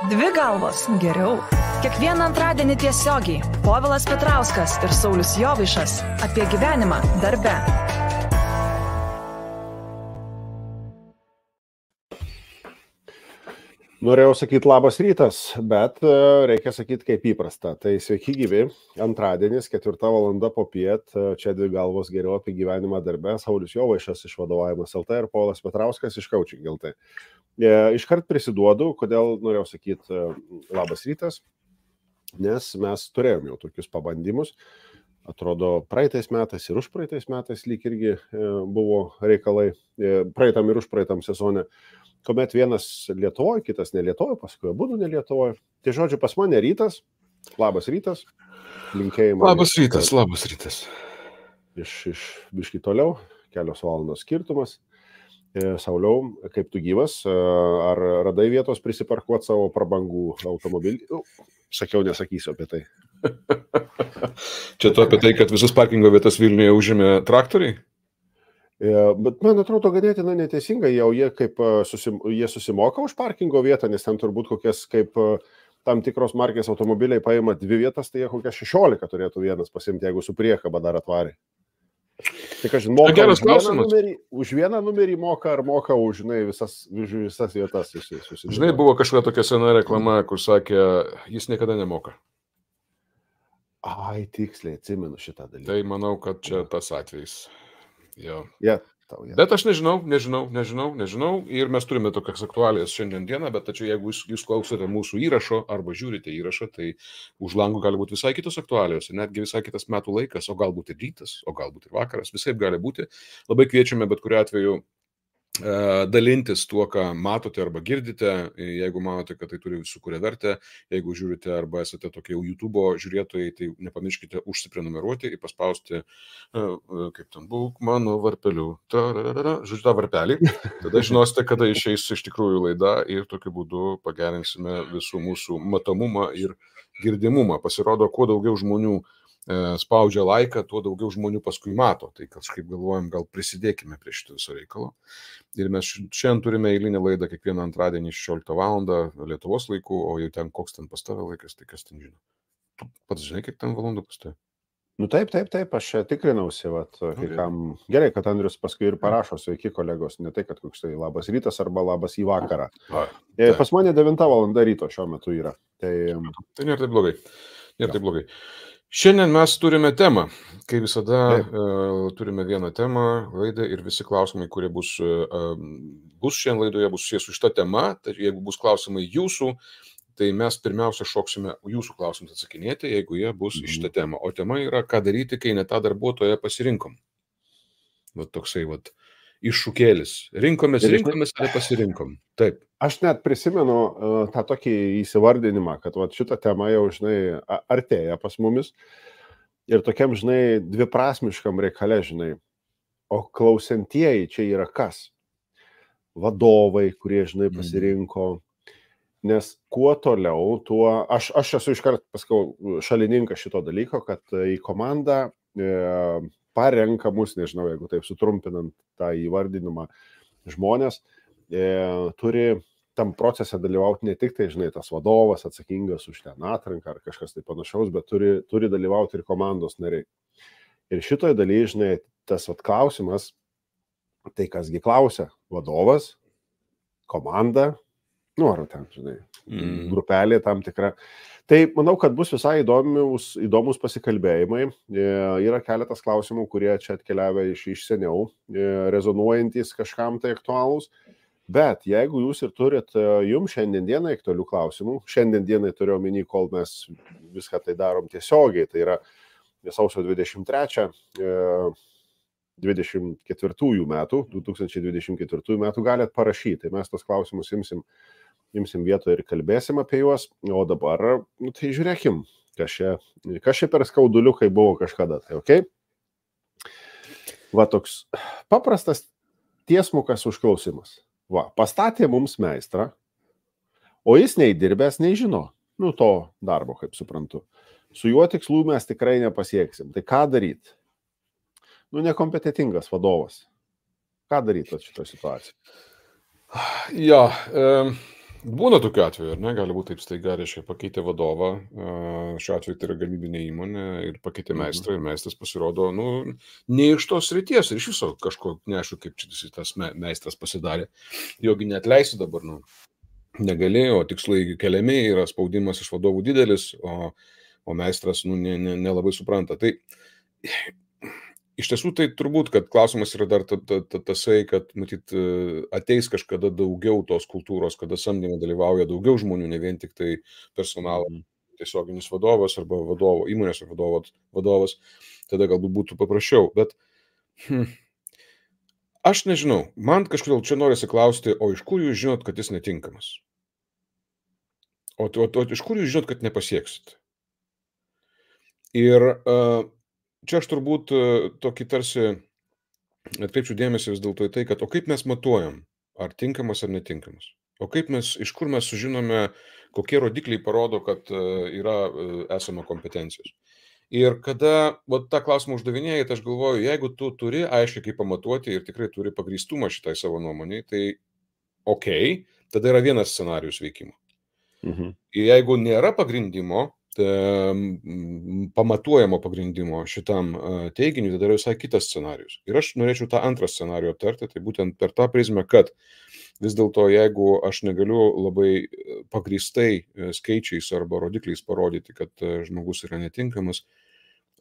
Dvi galvos geriau. Kiekvieną antradienį tiesiogiai Povilas Petrauskas ir Saulius Jovaišas apie gyvenimą darbe. Norėjau sakyti labas rytas, bet reikia sakyti kaip įprasta. Tai sveiki gyvi, antradienis, 4 valanda popiet, čia dvi galvos geriau apie gyvenimą darbe, Saulius Jovaišas iš Vadovavimas LT ir Povilas Petrauskas iš Coaching LT. Iškart prisiduodu, kodėl norėjau sakyti labas rytas, nes mes turėjom jau tokius pabandymus. Atrodo, praeitais metais ir užpraeitais metais lyg irgi buvo reikalai, praeitam ir užpraeitam sezone, kuomet vienas Lietuvoje, kitas ne Lietuvoje, paskui abudu ne Lietuvoje. Tai žodžiu, pas mane rytas, labas rytas, linkėjimai. Labas rytas. Iš biškį toliau, kelios valandos skirtumas. Sauliau, kaip tu gyvas, ar radai vietos prisiparkuoti savo prabangų automobilį? Sakiau, nesakysiu apie tai. Čia tu apie tai, kad visus parkingo vietas Vilniuje užėmė traktoriai? Bet man atrodo ganėtinai neteisinga, jie kaip jie susimoka už parkingo vietą, nes ten turbūt kokias kaip tam tikros markės automobiliai paima 2 vietas, tai jie kokias 16 turėtų vienas pasimti, jeigu su priekaba dar atvarė. Tai kažin, moka už vieną numerį moka ar moka už visas vietas. Žinai, buvo kažkokia tokia sena reklama, kur sakė, jis niekada nemoka. Ai, tiksliai, atsimenu šitą dalyką. Tai manau, kad čia tas atvejis. Jo. Bet aš nežinau. Ir mes turime tokias aktualijas šiandien dieną, bet tačiau jeigu jūs klausote mūsų įrašo arba žiūrite įrašą, tai už langų gali būti visai kitos aktualijos, netgi visai kitas metų laikas, o galbūt ir rytas, o galbūt ir vakaras, visaip gali būti. Labai kviečiame bet kuriuo atveju dalintis tuo, ką matote arba girdite, jeigu manote, kad tai turi sukuria vertę, jeigu žiūrite arba esate tokie jau YouTube žiūrėtojai, tai nepamirškite užsiprenumeruoti ir paspausti, kaip ten būk mano varpeliu, žodžiu tą varpelį, tada žinosite, kada išeis iš tikrųjų laida ir tokiu būdu pagerinsime visų mūsų matomumą ir girdimumą. Pasirodo, kuo daugiau žmonių spaudžia laiką, tuo daugiau žmonių paskui mato. Tai kažkaip galvojam, gal prisidėkime prie šito viso reikalo. Ir mes šiandien turime eilinę laidą kiekvieną antradienį 16 valandą Lietuvos laiku, o jau ten koks ten pas tave laikas, tai kas ten žino. Tu pats žinai, kiek ten valandų pas tave? Nu taip, aš tikrinausi, kam. Gerai, kad Andrius paskui ir parašo, sveiki kolegos, ne tai, kad koks tai labas rytas arba labas į vakarą. Pas mane 9 valanda ryto šiuo metu yra. Tai nėra taip blogai. Šiandien mes turime temą. Kaip visada turime vieną temą, laidą ir visi klausimai, kurie bus šiandien laidoje, bus susijęs su šita tema. Tai jeigu bus klausimai jūsų, tai mes pirmiausia šoksime jūsų klausimus atsakinėti, jeigu jie bus iš šitą temą. O tema yra, ką daryti, kai ne tą darbuotoją pasirinkom. Toksai iššūkėlis. Rinkomės, ale pasirinkom. Taip. Aš net prisimenu tą tokį įsivardinimą, kad šitą temą jau, artėja pas mumis ir tokiam, dviprasmiškam reikale, o klausantieji čia yra kas? Vadovai, kurie, pasirinko, nes kuo toliau, tuo, aš esu iškart paskau šalininkas šito dalyko, kad į komandą parenka mus, jeigu taip sutrumpinant tą įvardinimą, žmonės turi tam procese dalyvauti ne tik tai, tas vadovas atsakingas už ten atranką ar kažkas tai panašaus, bet turi dalyvauti ir komandos nariai. Ir šitoje dalyje, tas klausimas, tai kasgi klausia, vadovas, komanda, ar ten, grupelė tam tikra. Tai manau, kad bus visai įdomus pasikalbėjimai. Yra keletas klausimų, kurie čia atkeliavę iš seniau, rezonuojantis kažkam tai aktualūs. Bet jeigu jūs ir turit jums šiandien dienai aktualių klausimų, šiandien dienai turiu omeny, kol mes viską tai darom tiesiogiai, tai yra sausio 23, 2024 metų galite parašyti. Tai mes tos klausimus imsim vietoje ir kalbėsim apie juos. O dabar, tai žiūrėkim, kas čia per skauduliukai buvo kažkada. Tai okay? Toks paprastas tiesmukas užklausimas. Pastatė mums meistrą, o jis nei dirbęs, nei žino, to darbo, kaip suprantu. Su juo tikslų mes tikrai nepasieksim. Tai ką daryti? Nekompetentingas vadovas. Ką daryti šitoje situacijoje? Būna tokiu atveju, ar ne? Gali būti taip staiga, reiškia, pakeitė vadovą, šiuo atveju tai yra gamybinė įmonė ir pakeitė meistrą ir meistras pasirodo, ne iš tos srities ir iš viso kažko, neaišku, kaip čia tas meistras pasidarė. Jogi neatleisi dabar, negali, o tikslai keliami, yra spaudimas iš vadovų didelis, o meistras, nelabai supranta. Tai iš tiesų, tai turbūt, kad klausimas yra dar tasai, kad, matyt, ateis kažkada daugiau tos kultūros, kada samdyme dalyvauja daugiau žmonių, ne vien tik tai personalo tiesioginis vadovas arba įmonės vadovas, tada galbūt būtų paprasčiau. Bet aš nežinau, man kažkodėl čia norisi klausti, o iš kur jūs žinot, kad jis netinkamas? O iš kur jūs žinot, kad nepasieksit? Ir čia aš turbūt tokį tarsi atkreipčiau dėmesį vis dėlto į tai, kad o kaip mes matuojam, ar tinkamas ar netinkamas? O iš kur mes sužinome, kokie rodikliai parodo, kad esama kompetencijos? Ir kada tą klausimą uždavinėjai, tai aš galvoju, jeigu tu turi aiškiai kaip pamatuoti ir tikrai turi pagrįstumą šitai savo nuomonėj, tai okei, tada yra vienas scenarijus veikimo. Ir jeigu nėra pagrindimo, pamatuojamo pagrindimo šitam teiginiui, tada yra visai kitas scenarius. Ir aš norėčiau tą antrą scenarijų aptarti, tai būtent per tą prizmę, kad vis dėlto, jeigu aš negaliu labai pagrįstai skaičiais arba rodikliais parodyti, kad žmogus yra netinkamas,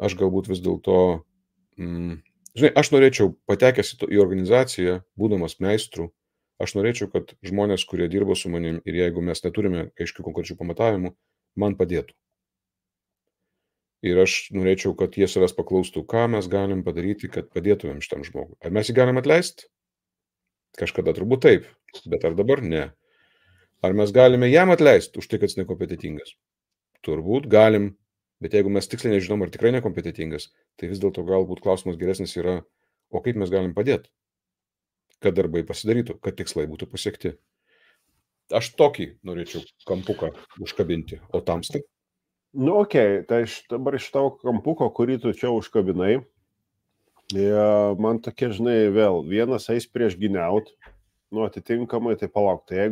aš galbūt vis dėlto, aš norėčiau patekęs į organizaciją, būdamas meistru, aš norėčiau, kad žmonės, kurie dirbo su manim ir jeigu mes neturime aiškių konkrečių pamatavimų, man padėtų. Ir aš norėčiau, kad jie savęs paklaustų, ką mes galim padaryti, kad padėtumėm šitam žmogui. Ar mes jį galim atleisti? Kažkada turbūt taip, bet ar dabar ne. Ar mes galime jam atleisti už tai, kad jis nekompetitingas? Turbūt galim, bet jeigu mes tiksliai nežinom, ar tikrai nekompetitingas, tai vis dėlto galbūt klausimas geresnis yra, o kaip mes galim padėti, kad darbai pasidarytų, kad tikslai būtų pasiekti. Aš tokį norėčiau kampuką užkabinti, o tamstai? Tai dabar iš tavo kampuko, kurį tu čia užkabinai, man tokie, žinai, vėl vienas eis prieš giniaut, atitinkamai, tai palauk, tai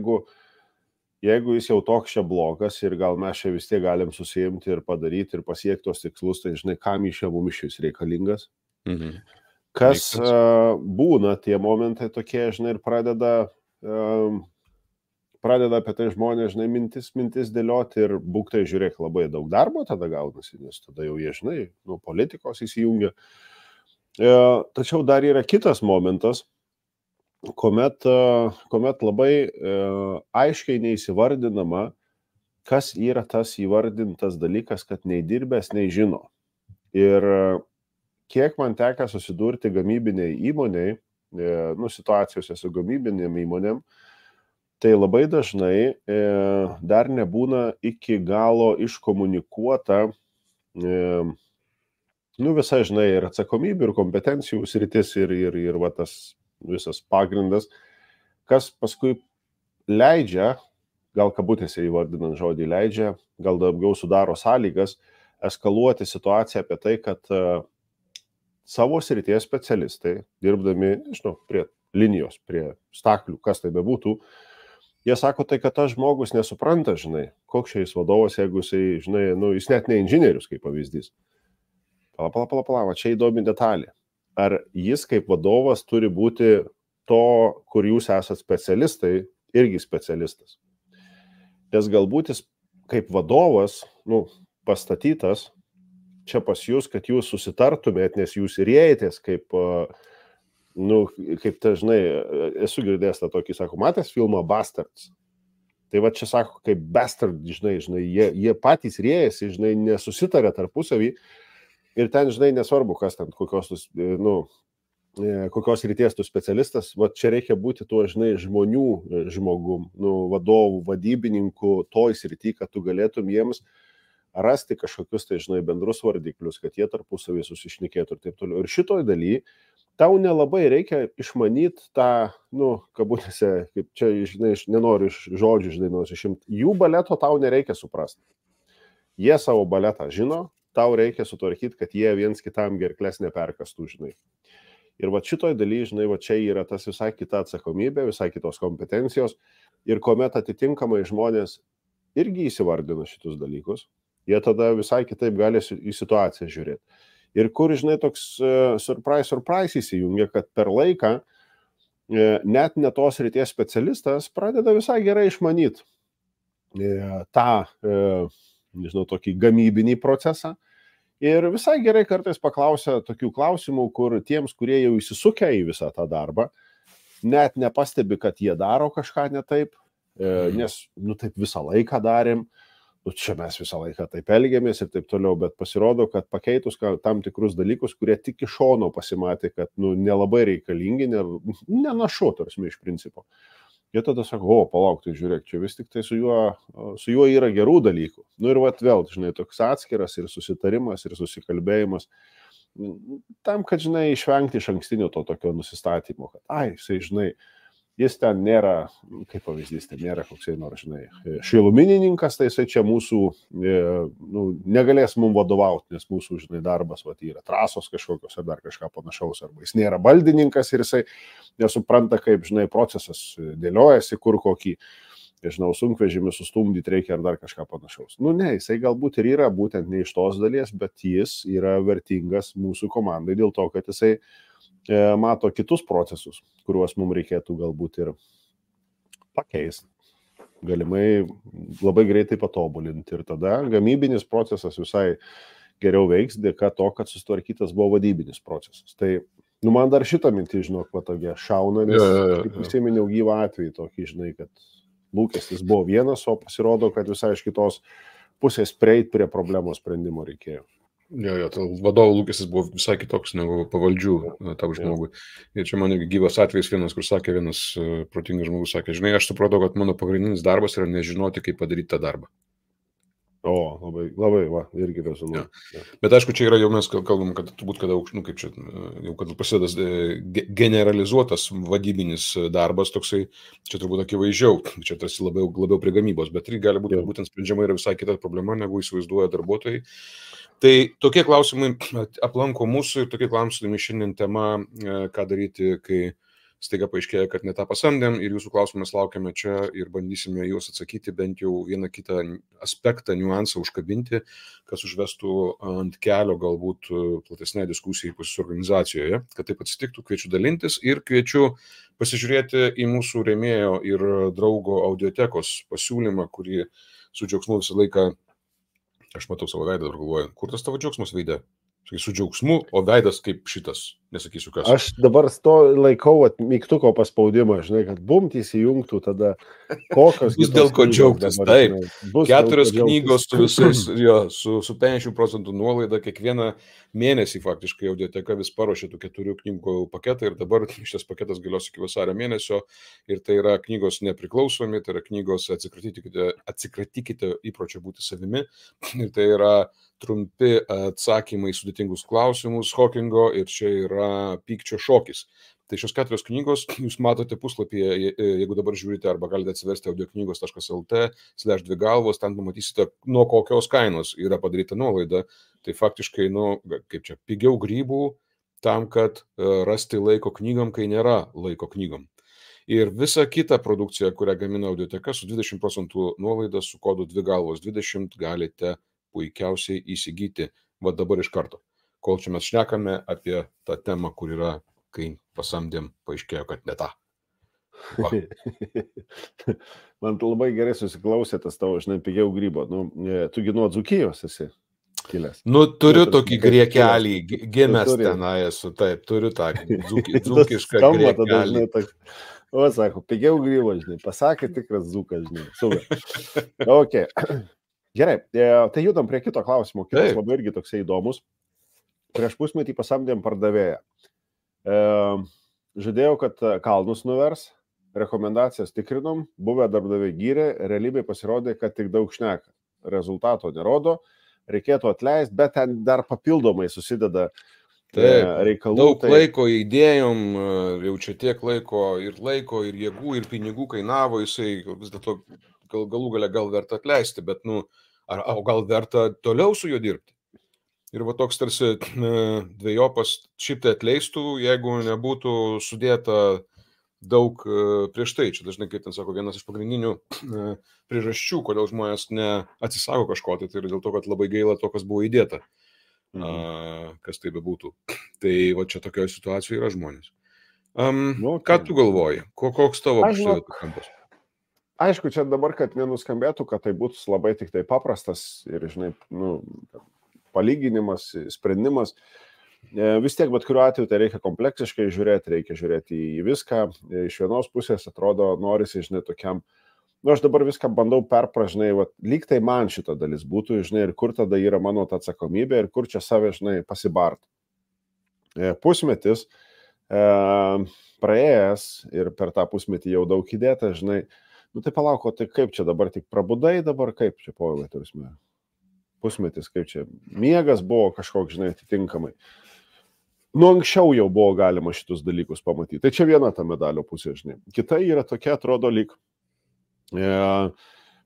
jeigu jis jau toks čia blogas ir gal mes čia vis tiek galim susiimti ir padaryti ir pasiekti tos tikslus, tai žinai, kam iš čia mums šis reikalingas. Kas būna tie momentai tokie, žinai, ir pradeda apie tai žmonės, žinai, mintis dėlioti ir būk tai žiūrėk, labai daug darbo tada gaunasi, nes tada jau jie, žinai, politikos įsijungia. Tačiau dar yra kitas momentas, kuomet labai aiškiai neįsivardinama, kas yra tas įvardintas dalykas, kad nei dirbęs, nei žino. Ir kiek man teka susidurti gamybiniai įmoniai, situacijose su gamybinėm įmonėm, tai labai dažnai dar nebūna iki galo iškomunikuota visai, žinai, ir atsakomybių, ir kompetencijų sritis, ir va tas visas pagrindas, kas paskui leidžia, gal kabutėse įvardinant žodį leidžia, gal daugiau sudaro sąlygas eskaluoti situaciją apie tai, kad savo srities specialistai, dirbdami, prie linijos, prie staklių, kas tai bebūtų, jie sako tai, kad tas žmogus nesupranta, žinai, koks čia jis vadovas, jeigu jisai, žinai, jis net ne inžinierius, kaip pavyzdys. Pala, čia įdomi detalė. Ar jis kaip vadovas turi būti to, kur jūs esat specialistai, irgi specialistas. Nes galbūt jis kaip vadovas, pastatytas čia pas jūs, kad jūs susitartumėt, nes jūs ir ėjotės kaip žinai, esu girdėjęs tą tokį, sako, matęs filmą Bastards. Tai va čia sako, kaip Bastard, žinai, jie patys rėjasi, žinai, nesusitarė tarpusavį ir ten, žinai, nesvarbu, kas ten, kokios ryties tu specialistas, va čia reikia būti tuo, žinai, žmogum, vadovų, vadybininkų toj srity, kad tu galėtum jiems rasti kažkokius, tai, žinai, bendrus vardiklius, kad jie tarpusavį susišnekėtų ir taip toliau. Ir šitoj daly tau nelabai reikia išmanyti tą, kabutėse, kaip čia, žinai, nenoriu iš žodžių, žinai, nusišimti. Jų baleto tau nereikia suprasti. Jie savo baletą žino, tau reikia sutvarkyti, kad jie viens kitam gerklės neperkastų, žinai. Ir va šitoj daly, žinai, va čia yra tas visai kita atsakomybė, visai kitos kompetencijos. Ir kuomet atitinkamai žmonės irgi įsivardina šitus dalykus, jie tada visai kitaip gali į situaciją žiūrėti. Ir kur, žinai, toks surprise įsijungia, kad per laiką net ne tos ryties specialistas pradeda visai gerai išmanyti tą, nežinau, tokį gamybinį procesą. Ir visai gerai kartais paklausia tokių klausimų, kur tiems, kurie jau įsisukę į visą tą darbą, net nepastebi, kad jie daro kažką ne taip, nes, taip visą laiką darėm, čia mes visą laiką taip elgiamės ir taip toliau, bet pasirodo, kad pakeitus tam tikrus dalykus, kurie tik iš šono pasimatė, kad, nelabai reikalingi, nenašu, tarsi iš principo. Jie tada sako, palauk, tai žiūrėk, čia vis tik tai su juo yra gerų dalykų. Ir vėl, žinai, toks atskiras ir susitarimas, ir susikalbėjimas, tam, kad, žinai, išvengti iš ankstinio to tokio nusistatymo, kad, žinai, jis ten nėra, kaip pavyzdys, ten nėra koksai nors, žinai, šiluminininkas, tai jisai čia mūsų, negalės mums vadovauti, nes mūsų, žinai, darbas yra trasos kažkokios ar dar kažką panašaus, arba jis nėra baldininkas ir jisai nesupranta, kaip, žinai, procesas dėliojasi, kur kokį, žinau, sunkvežimį sustumdyti reikia ar dar kažką panašaus. Ne, jisai galbūt ir yra būtent ne iš tos dalies, bet jis yra vertingas mūsų komandai dėl to, kad jisai mato kitus procesus, kuriuos mums reikėtų galbūt ir pakeisti. Galimai labai greitai patobulinti ir tada gamybinis procesas visai geriau veiks dėka to, kad susitvarkytas buvo vadybinis procesas. Tai, man dar šitą mintį, žinok, patogia šauna, nes prisiminiau gyvą atvejį tokį, žinai, kad lūkestis buvo vienas, o pasirodo, kad visai iš kitos pusės prieiti prie problemos sprendimo reikėjo. Tai vadovo lūkestis buvo visai kitoks negu pavaldžių tam žmogui. Ir čia man irgi gyvas atvejis vienas, kur sakė vienas protingas žmogus, sakė, žinai, aš supratau, kad mano pagrindinis darbas yra nežinoti, kaip padaryti tą darbą. Labai, irgi rezonuoja. Bet aišku, čia yra jau mes kalbam, kad turbūt, kada kaip čia, jau kad prasideda generalizuotas vadybinis darbas, toksai, čia turbūt akivaizdžiau, čia tarsi labiau prie gamybos, bet tai gali būti, būtent sprendžiama yra visai kita problema, negu įsivaizduoja darbuotojai. Tai tokie klausimai aplanko mūsų ir tokie klausimai šiandien tema, ką daryti, kai staiga paaiškėja, kad ne tą pasamdėm ir jūsų klausimus laukiame čia ir bandysime juos atsakyti, bent jau vieną kitą aspektą, niuansą užkabinti, kas užvestų ant kelio galbūt platesnė diskusija pas organizacijoje. Kad taip atsitiktų, kviečiu dalintis ir kviečiu pasižiūrėti į mūsų rėmėjo ir draugo audiotekos pasiūlymą, kurį su džiaugsmu visą laiką, aš matau savo veidą ir galvoju, kur tas tavo džiaugsmas veide? Su džiaugsmu, o veidas kaip šitas, nesakysiu kas. Aš dabar laikau mygtuko paspaudimą, žinai, kad bumt įsijungtų tada kokios... Bus dėl ko džiaugtis, taip. 4 knygos su visais, su 50% nuolaida, kiekvieną mėnesį faktiškai audioteka vis paruošė tų 4 knygų paketą ir dabar šitas paketas galios iki vasario mėnesio ir tai yra knygos nepriklausomi, tai yra knygos atsikratykite įpročio būti savimi ir tai yra trumpi atsakymai į sudėtingus klausimus Hawkingo ir čia yra pykčio šokis. Tai šios 4 knygos jūs matote puslapyje, jeigu dabar žiūrite, arba galite atsiversti audioknygos.lt/2 galvos, ten pamatysite, nuo kokios kainos yra padaryta nuolaida. Tai faktiškai, kaip čia, pigiau grybų tam, kad rasti laiko knygom, kai nėra laiko knygom. Ir visa kita produkcija, kurią gamina audioteka su 20% nuolaida su kodu 2 galvos 20 galite puikiausiai įsigyti dabar iš karto. Kol čia mes šnekame apie tą temą, kur yra, kai pasamdėm, paaiškėjo, kad ne tą. Man labai gerai susiklausė tas tavo, žinai, pigiau grybo. Tu nuo Dzūkijos esi kilęs. Turiu tokį griekelį, gimęs tenai esu, taip, turiu tą dzūkišką griekelį. O, sako, pigiau grybo, žinai, pasakė tikras dzūkas, žinai. Super. Ok. Gerai, tai judam prie kito klausimo. Kitas labai irgi toksai įdomus. Prieš pusmetį pasamdėm pardavėją. Žadėjau, kad kalnus nuvers, rekomendacijas tikrinom, buvę darbdaviai gyrė, realybėje pasirodė, kad tik daug šneka. Rezultato nerodo, reikėtų atleisti, bet ten dar papildomai susideda reikalų. Daug laiko įdėjom, jau čia tiek laiko ir jėgų, ir pinigų kainavo, jisai vis dėlto galų gale gal verta atleisti, bet o gal verta toliau su juo dirbti? Ir va toks tarsi dviejopas, šiaip tai atleistų, jeigu nebūtų sudėta daug prieš tai. Čia dažnai, kaip ten sako, vienas iš pagrindinių priežasčių, kodėl žmonės neatsisako kažko, tai yra dėl to, kad labai gaila to, kas buvo įdėta, kas tai bebūtų. Tai va čia tokioje situacijoje yra žmonės. Ką tu galvoji? Koks tavo kampas? Aišku, čia dabar, kad nenuskambėtų, kad tai būtų labai tik tai paprastas ir, žinai, palyginimas, sprendimas. Vis tiek, bet kuriuo atveju, tai reikia kompleksiškai žiūrėti, reikia žiūrėti į viską. Iš vienos pusės atrodo, norisi, žinai, tokiam, aš dabar viską bandau perpražinai, lyg tai man šita dalis būtų, žinai, ir kur tada yra mano ta atsakomybė ir kur čia save, žinai, pasibart. Pusmetis praėjęs ir per tą pusmetį jau daug įdėta, žinai, tai palauko, tai kaip čia dabar tik prabudai, dabar kaip čia Povilai turime? Pusmetis, kaip čia miegas buvo kažkoks, žinai, atitinkamai. Anksčiau jau buvo galima šitus dalykus pamatyti. Tai čia viena ta medalio pusė, žinai. Kita yra tokia, atrodo, lyg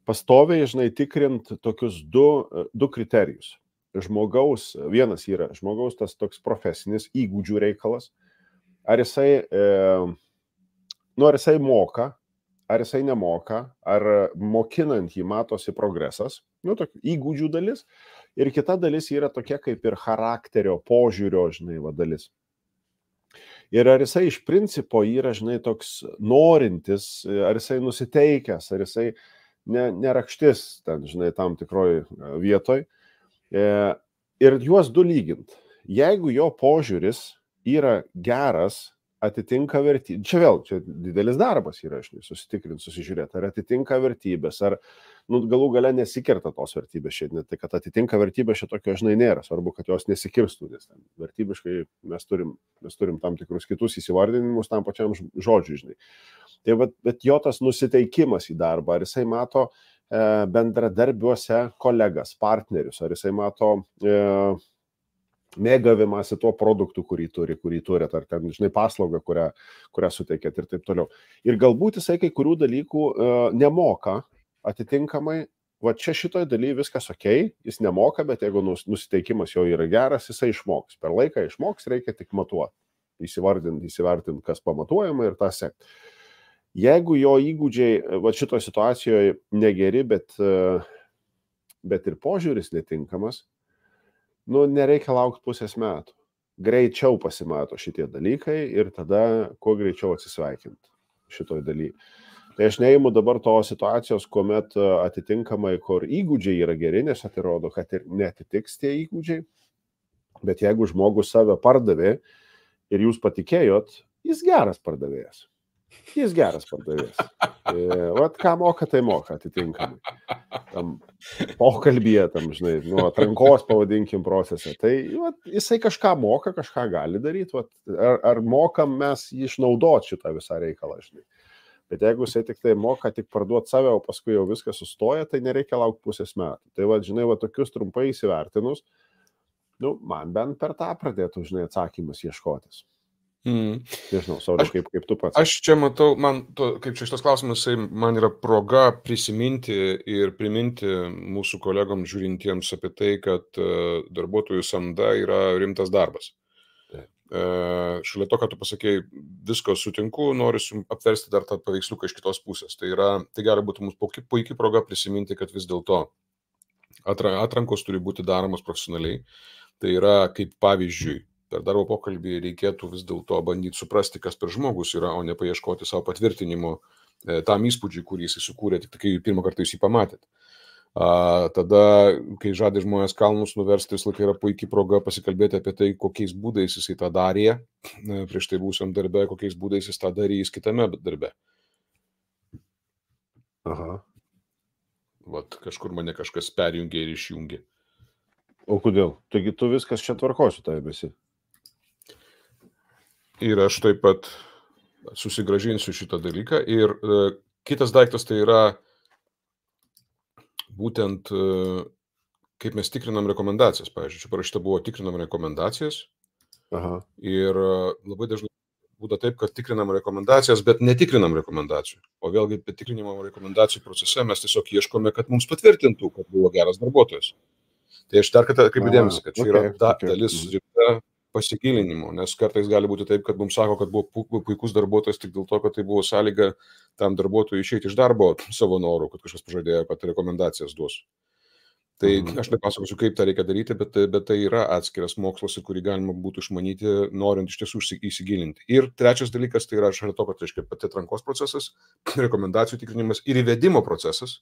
pastoviai, žinai, tikrint tokius du kriterijus. Vienas yra žmogaus tas toks profesinis įgūdžių reikalas. Ar jisai moka, ar jisai nemoka, ar mokinant jį matosi progresas, tokių įgūdžių dalis, ir kita dalis yra tokia kaip ir charakterio, požiūrio, žinai, dalis. Ir ar jisai iš principo yra, žinai, toks norintis, ar jisai nusiteikęs, ar jisai nerakštis ten, žinai, tam tikroj vietoj. Ir juos du lygint. Jeigu jo požiūris yra geras, atitinka vertybės. Čia didelis darbas yra, susitikrinti, susižiūrėti, ar atitinka vertybės, ar galų gale nesikerta tos vertybės šiandien. Tai, kad atitinka vertybės šitokio, žinai, nėra. Svarbu, kad jos nesikirstų, nes vertybiškai mes turim tam tikrus kitus įsivardinimus tam pačiam žodžiui, žinai. Tai, bet jo tas nusiteikimas į darbą, ar jisai mato bendradarbiuose kolegas, partnerius, ar jisai mato mėgavimąsi tuo produktu, kurį turit, ar ten, žinai, paslaugą, kurią suteikėt ir taip toliau. Ir galbūt jisai kai kurių dalykų nemoka atitinkamai, čia šitoj daly viskas okei, jis nemoka, bet jeigu nusiteikimas jo yra geras, jisai išmoks. Per laiką išmoks, reikia tik matuoti, įsivertinti, kas pamatuojama ir tą sekti. Jeigu jo įgūdžiai šitoje situacijoje negeri, bet ir požiūris netinkamas, nereikia laukti pusės metų. Greičiau pasimato šitie dalykai ir tada kuo greičiau atsisveikinti šitoj daly. Tai aš neimu dabar to situacijos, kuomet atitinkamai, kur įgūdžiai yra geri, nes atrodo, kad ir netitiks tie įgūdžiai, bet jeigu žmogus save pardavė ir jūs patikėjot, jis geras pardavėjas. Ką moka, tai moka atitinkamai. Tam pokalbyje, žinai, atrankos pavadinkim procese. Tai jisai kažką moka, kažką gali daryti. Ar mokam mes jį išnaudoti šitą visą reikalą, žinai. Bet jeigu jisai tik tai moka tik parduoti save, o paskui jau viskas sustoja, tai nereikia laukti pusės metų. Tai žinai, tokius trumpai įsivertinus, man bent per tą pradėtų, žinai, atsakymus ieškotis. Nežinau, Sauliau, kaip tu pats. Aš čia matau, kaip čia šitas klausimas, man yra proga prisiminti ir priminti mūsų kolegom žiūrintiems apie tai, kad darbuotojų samda yra rimtas darbas. Šalia to, kad tu pasakėjai, visko sutinku, noriu apversti dar tą paveiksliuką iš kitos pusės. Tai gali būti mums puikiai proga prisiminti, kad vis dėlto atrankos turi būti daromos profesionaliai. Tai yra kaip pavyzdžiui, per darbo pokalbį reikėtų vis dėlto bandyti suprasti, kas per žmogus yra, o ne paieškoti savo patvirtinimo tam įspūdžiui, kurį jis sukūrė, tik kai pirmą kartą jūs jį pamatėt. Tada, kai žadė žmonės kalnus nuversti, vis laikai yra puikiai proga pasikalbėti apie tai, kokiais būdais jisai tą darė prieš tai būsiam darbe, kokiais būdais jis tą darys kitame darbe. Aha. Kažkur mane kažkas perjungė ir išjungė. O kodėl? Taigi tu viskas čia tvarkosiu tai visi. Ir aš taip pat susigrąžinsiu šitą dalyką. Ir kitas daiktas tai yra būtent kaip mes tikrinam rekomendacijas. Pavyzdžiui, čia parašyta buvo tikrinam rekomendacijas. Aha. Ir labai dažnai būtų taip, kad tikrinam rekomendacijas, bet netikrinam rekomendacijų. O vėlgi, tikrinimo rekomendacijų procese mes tiesiog ieškome, kad mums patvirtintų, kad buvo geras darbuotojas. Tai aš dar kartą atkreipiu dėmesį, kad čia yra Okay. dalis rimta pasigilinimo, nes kartais gali būti taip, kad mums sako, kad buvo puikus darbuotojas tik dėl to, kad tai buvo sąlyga tam darbuotojui išeiti iš darbo savo norų, kad kažkas pažadėjo, kad rekomendacijas duos. Tai aš nepasakosiu, kaip tą reikia daryti, bet tai yra atskiras mokslas, į kurį galima būtų išmanyti, norint iš tiesų įsigilinti. Ir trečias dalykas, tai yra šalia to, kad reiškia pati atrankos procesas, rekomendacijų tikrinimas ir įvedimo procesas,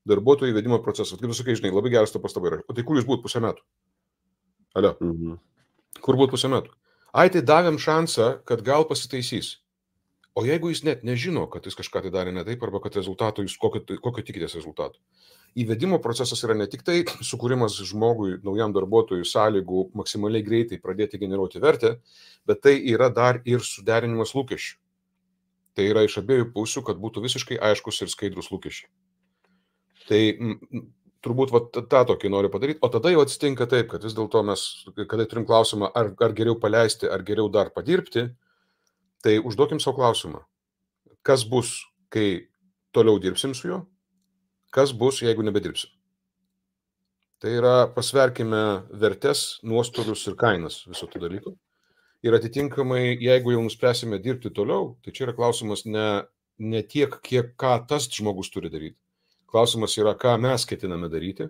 darbuotojų įvedimo procesas. Kaip tu sakai, žinai, labai geras to pastaba yra. O tai kur jūs būt pusę metų? Alio. Kur būt pusę metų? Ai, tai davėm šansą, kad gal pasitaisys. O jeigu jis net nežino, kad jis kažką tai darė ne taip, arba kad rezultato jūs kokio tikitės rezultato. Įvedimo procesas yra ne tik tai sukūrimas žmogui, naujam darbuotojui sąlygų maksimaliai greitai pradėti generuoti vertę, bet tai yra dar ir suderinimas lūkesčių. Tai yra iš abiejų pusių, kad būtų visiškai aiškus ir skaidrus lūkesčiai. Tai turbūt tą tokį noriu padaryti, o tada jau atsitinka taip, kad vis dėlto mes, kada turim klausimą, ar geriau paleisti, ar geriau dar padirbti, tai užduokim savo klausimą, kas bus, kai toliau dirbsim su juo, kas bus, jeigu nebedirbsim. Tai yra, pasverkime vertes, nuostolius ir kainas viso tų dalykų. Ir atitinkamai, jeigu jau nuspręsime dirbti toliau, tai čia yra klausimas ne tiek, ką tas žmogus turi daryti. Klausimas yra, ką mes ketiname daryti,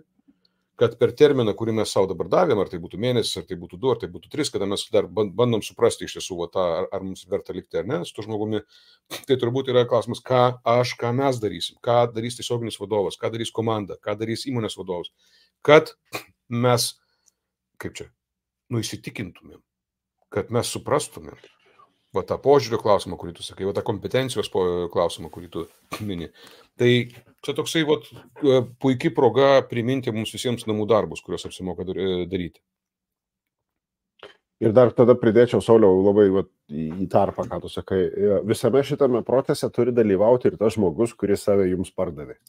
kad per terminą, kurį mes savo dabar davėm, ar tai būtų mėnesis, ar tai būtų 2, ar tai būtų 3, kada mes dar bandom suprasti iš tiesų, ar mums verta likti ar ne su tuo žmogumi, tai turbūt yra klausimas, ką mes darysim, ką darys tiesioginis vadovas, ką darys komanda, ką darys įmonės vadovas, kad mes, įsitikintumėm, kad mes suprastumėm tą požiūrio klausimą, kurį tu sakai, tą kompetencijos klausimą, kurį tu mini. Tai čia toksai puikiai proga priminti mums visiems namų darbus, kuriuos apsimoka daryti. Ir dar tada pridėčiau, Sauliau, labai į tarpą, ką tu sakai. Visame šitame procese turi dalyvauti ir tas žmogus, kuris save jums pardavė.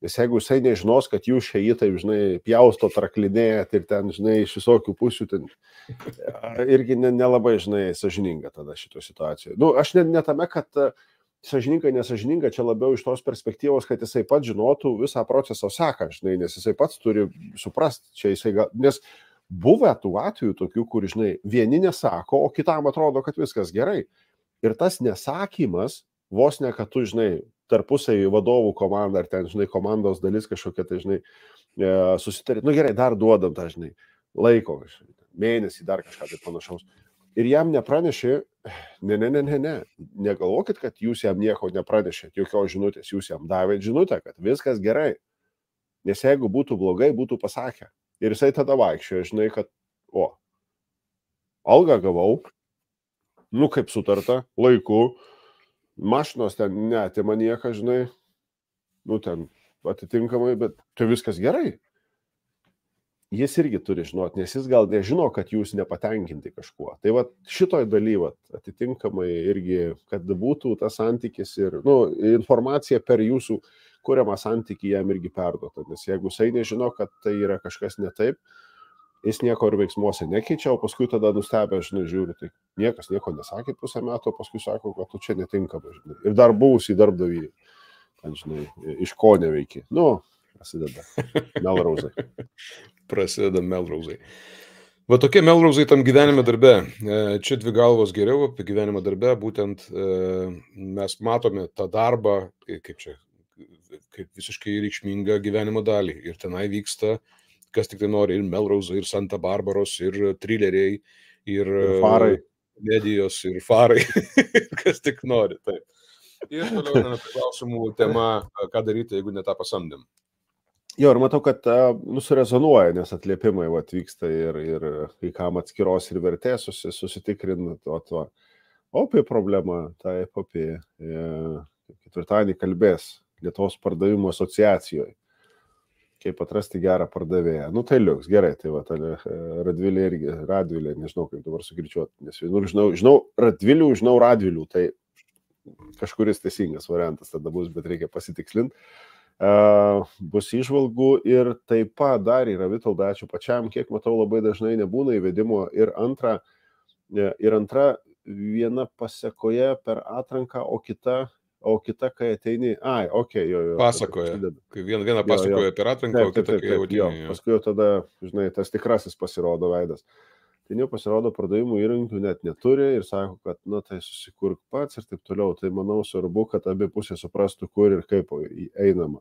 Nes jeigu jisai nežinos, kad jūs šiai taip, žinai, pjausto, traklinėjat ir ten, žinai, iš visokių pusių, ten irgi nelabai, žinai, sąžininga tada šito situacijoje. Aš ne tame, kad sąžininga, nesažininga, čia labiau iš tos perspektyvos, kad jisai pats žinotų visą procesą seką, žinai, nes jisai pats turi suprasti, čia jisai nes buvę tų atvejų tokių, kur, žinai, vieni nesako, o kitam atrodo, kad viskas gerai. Ir tas nesakymas, vos ne, kad tu, žinai, tarpusai vadovų komanda, ar ten, žinai, komandos dalis kažkokia, tai, žinai, susitarė, gerai, dar duodam tą, žinai, laiko, mėnesį, dar kažką tai panašaus. Ir jam nepranešė, negalvokit, kad jūs jam nieko nepranešėt, jokios žinutės, jūs jam davėt žinutę, kad viskas gerai. Nes jeigu būtų blogai, būtų pasakę. Ir jisai tada vaikščiojo, žinai, kad, algą gavau, kaip sutarta, laiku, mašinos ten neatima nieką, žinai, ten atitinkamai, bet čia viskas gerai. Jis irgi turi žinoti, nes jis gal nežino, kad jūs nepatenkinti kažkuo. Tai šitoj daly, atitinkamai irgi, kad būtų tas santykis ir, informacija per jūsų kuriamą santykį jam irgi perduota. Nes jeigu jisai nežino, kad tai yra kažkas ne taip, jis nieko ir veiksmuose nekeičia, o paskui tada nustebę, žinai, žiūri, tai niekas nieko nesakė pusę metų, o paskui sako, kad tu čia netinkama, žinai. Ir dar buvusį darbdavį, ten, žinai, iš ko neveiki. Prasideda Melrauzai. Prasideda Melrauzai. Va tokie Melrauzai tam gyvenime darbe. Čia dvi galvos geriau apie gyvenimą darbe, būtent mes matome tą darbą, kaip visiškai reikšmingą gyvenimo dalį. Ir tenai vyksta kas tik tai nori, ir Melrauzai, ir Santa Barbaros, ir trileriai, ir farai, medijos, ir farai, kas tik nori. Taip. Ir toliau klausimų tema, ką daryti, jeigu ne tą pasamdėm. Jo, ir matau, kad surezonuoja, nes atliepimai vyksta ir kai kam atskiros ir vertės susitikrinant, apie problemą, taip, apie ketvirtadienį kalbės Lietuvos pardavimų asociacijoje. Kaip atrasti gerą pardavėją. Tai liuks, gerai, tai Radvilė, nežinau, kaip dabar sukirčiuoti, nes vienur žinau Radvilių, žinau Radvilių, tai kažkuris teisingas variantas tada bus, bet reikia pasitikslinti. Bus įžvalgų ir taip pat dar yra, Vitolda, ačiū pačiam, kiek matau, labai dažnai nebūna įvedimo ir antra viena pasekoje per atranką, o kita o kita, kai ateini, jo. Pasakoja. Kai viena pasakoja apie atranką, o kita, kai jau ateini. Paskui jau tada, žinai, tas tikrasis pasirodo veidas. Tai jau pasirodo, pardavimų įrankių net neturi ir sako, kad, tai susikurk pats ir taip toliau. Tai manau svarbu, kad abi pusės suprastų, kur ir kaip einama.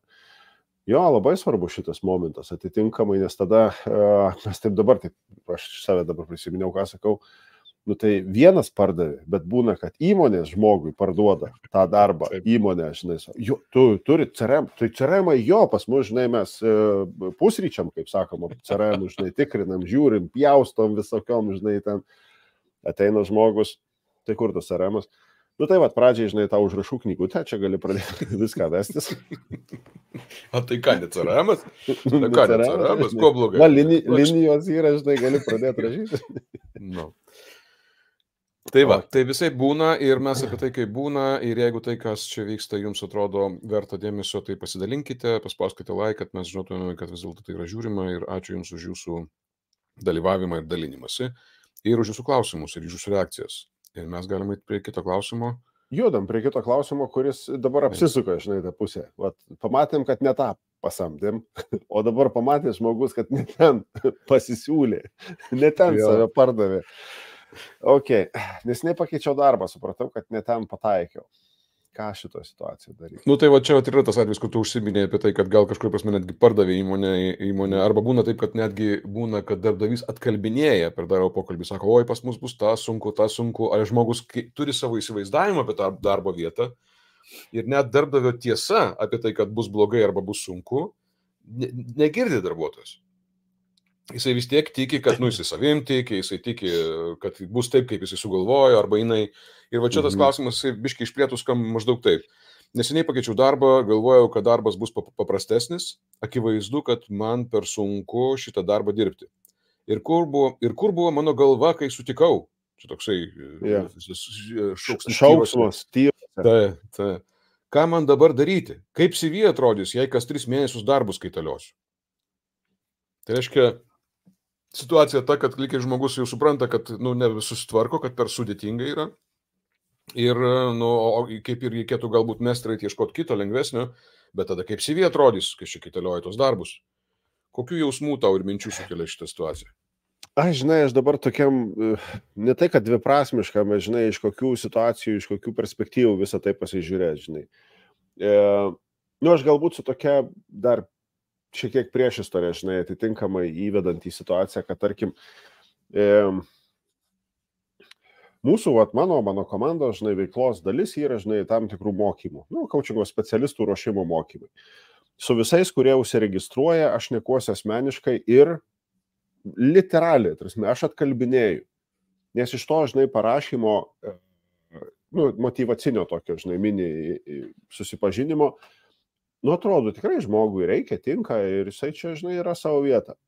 Jo, labai svarbu šitas momentas, atitinkamai, nes tada, mes taip dabar, aš save dabar prisiminiau, ką sakau, tai vienas pardavė, bet būna, kad įmonės žmogui parduoda tą darbą, įmonė, žinai, tu turi CRM, tai CRM jo, pas mus, žinai, mes pusryčiam, kaip sakoma, CRM, žinai, tikrinam, žiūrim, pjaustom visokiom, žinai, ten ateina žmogus, tai kur tas CRM-as? Tai va, pradžiai, žinai, tau užrašų knygutę, čia gali pradėti viską vestis. O tai ką, ne CRM-as? Ne CRM-as, kuo blogai? Linijos yra, žinai, gali pradėti rašyti. Tai va, tai visai būna ir mes apie tai, kaip būna, ir jeigu tai, kas čia vyksta, jums atrodo verta dėmesio, tai pasidalinkite, paspauskite like, kad mes žinotume, kad vis dėlto tai yra žiūrima ir ačiū Jums už Jūsų dalyvavimą ir dalinimąsi ir už Jūsų klausimus ir Jūsų reakcijas. Ir mes galime eiti prie kito klausimo. Judam prie kito klausimo, kuris dabar apsisuka, žinai, tą pusę. Vat, pamatėm, kad ne tą pasamdėm, o dabar pamatė žmogus, kad ne ten pasisiūlė, ne ten save pardavė. Nes nepakeičiau darbą, supratau, kad ne ten pataikiau. Ką šito situaciją daryti? Tai va čia yra tas atvejis, kur tu užsiminėjai apie tai, kad gal kažkur prasme netgi pardavė įmonė, arba būna taip, kad netgi būna, kad darbdavys atkalbinėja per darbo pokalbį, sako, oi, pas mus bus ta sunku, ar žmogus turi savo įsivaizdavimą apie tą darbo vietą ir net darbdavio tiesa apie tai, kad bus blogai arba bus sunku, negirdi darbuotojas. Jisai vis tiek tiki, kad jisai savim tiki, jisai tiki, kad bus taip, kaip jisai sugalvojo, arba jinai. Ir va čia tas klausimas, biškai išplėtus, kam maždaug taip. Neseniai pakeičiau darbą, galvojau, kad darbas bus paprastesnis, akivaizdu, kad man per sunku šitą darbą dirbti. Ir kur buvo mano galva, kai sutikau? Čia toksai šauksmas, tyras. Ką man dabar daryti? Kaip CV atrodys, jei kas 3 mėnesius darbus kaitaliosiu? Tai reiškia, situacija ta, kad lygiai žmogus jau supranta, kad nesusitvarko, kad per sudėtinga yra. Ir kaip ir reikėtų galbūt mestrai ieškoti kito lengvesnio, bet tada kaip CV atrodys, kai čia kaitalioja tos darbus. Kokių jausmų tau ir minčių sukelia šitą situaciją? Aš dabar tokiam, ne tai, kad dviprasmiškam, žinai, iš kokių situacijų, iš kokių perspektyvų visą tai pasižiūrėti, žinai. Aš galbūt su tokia dar šiek tiek priešistorė, žinai, atitinkamai įvedant į situaciją, kad, tarkim, mūsų, mano komandos, žinai, veiklos dalis yra, žinai, tam tikrų mokymų, kaučingo specialistų ruošimo mokymai. Su visais, kurie užsiregistruoja, aš nekuosiu asmeniškai ir literaliai, aš atkalbinėju, nes iš to, žinai, parašymo, motyvacinio tokio, žinai, mini susipažinimo, atrodo, tikrai žmogui reikia, tinka ir jisai čia, žinai, yra savo vieta.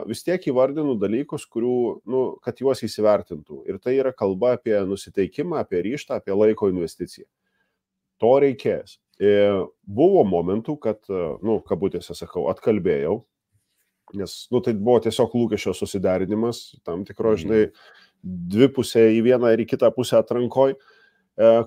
Vis tiek įvardinu dalykus, kurių, kad juos įsivertintų. Ir tai yra kalba apie nusiteikimą, apie ryžtą, apie laiko investiciją. To reikės. Buvo momentų, kad, kabutėse sakau, atkalbėjau, nes, tai buvo tiesiog lūkesčio susiderinimas, tam tikro, žinai, dvi pusė į vieną ir į kitą pusę atrankoj,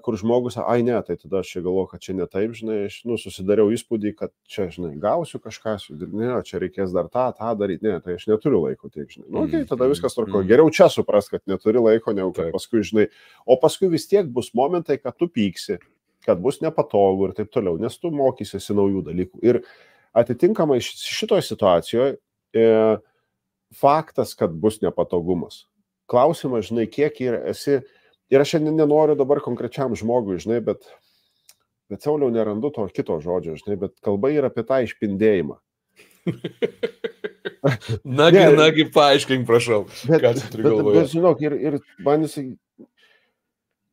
kur žmogus, ne, tai tada aš čia galvoju, kad čia ne taip, žinai, aš susidariau įspūdį, kad čia, žinai, gausiu kažką, ne, čia reikės dar tą daryti, ne, tai aš neturiu laiko tiek, žinai. Tai tada viskas tvarko. Geriau čia supras, kad neturi laiko, negu kad paskui, žinai, o paskui vis tiek bus momentai, kad tu pyksi, kad bus nepatogu ir taip toliau, nes tu mokysiesi naujų dalykų. Ir atitinkamai šitoje situacijoje faktas, kad bus nepatogumas. Klausimas, žinai, kiek esi. Ir aš šiandien nenoriu dabar konkrečiam žmogui, žinai, bet Sauliau nerandu to kito žodžio, žinai, bet kalba yra apie tą išpindėjimą. Nagi, paaiškink, prašau, ką tu turi galvoje. Bet žinok, ir man jisai,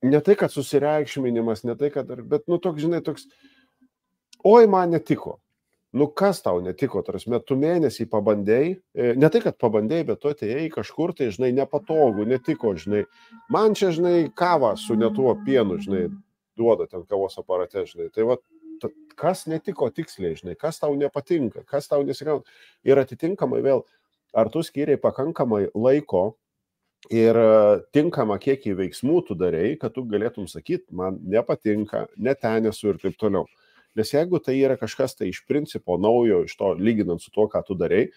ne tai, kad susireikšminimas, ne tai, kad, bet, toks, žinai, toks, oi, man netiko. Kas tau netiko, tarsi, tu mėnesį pabandėjai, ne tai, kad pabandėjai, bet tu atėjai kažkur, tai, žinai, nepatogu, netiko, žinai, man čia, žinai, kavą su netuo pienu, žinai, duoda ten kavos aparate, žinai, tai va, kas netiko tiksliai, žinai, kas tau nepatinka, kas tau nesigauna. Ir atitinkamai vėl, ar tu skiriai pakankamai laiko ir tinkamą kiekį veiksmų tu darei, kad tu galėtum sakyti, man nepatinka, ne ten esu ir taip toliau. Nes jeigu tai yra kažkas tai iš principo naujo, iš to lyginant su tuo, ką tu darei,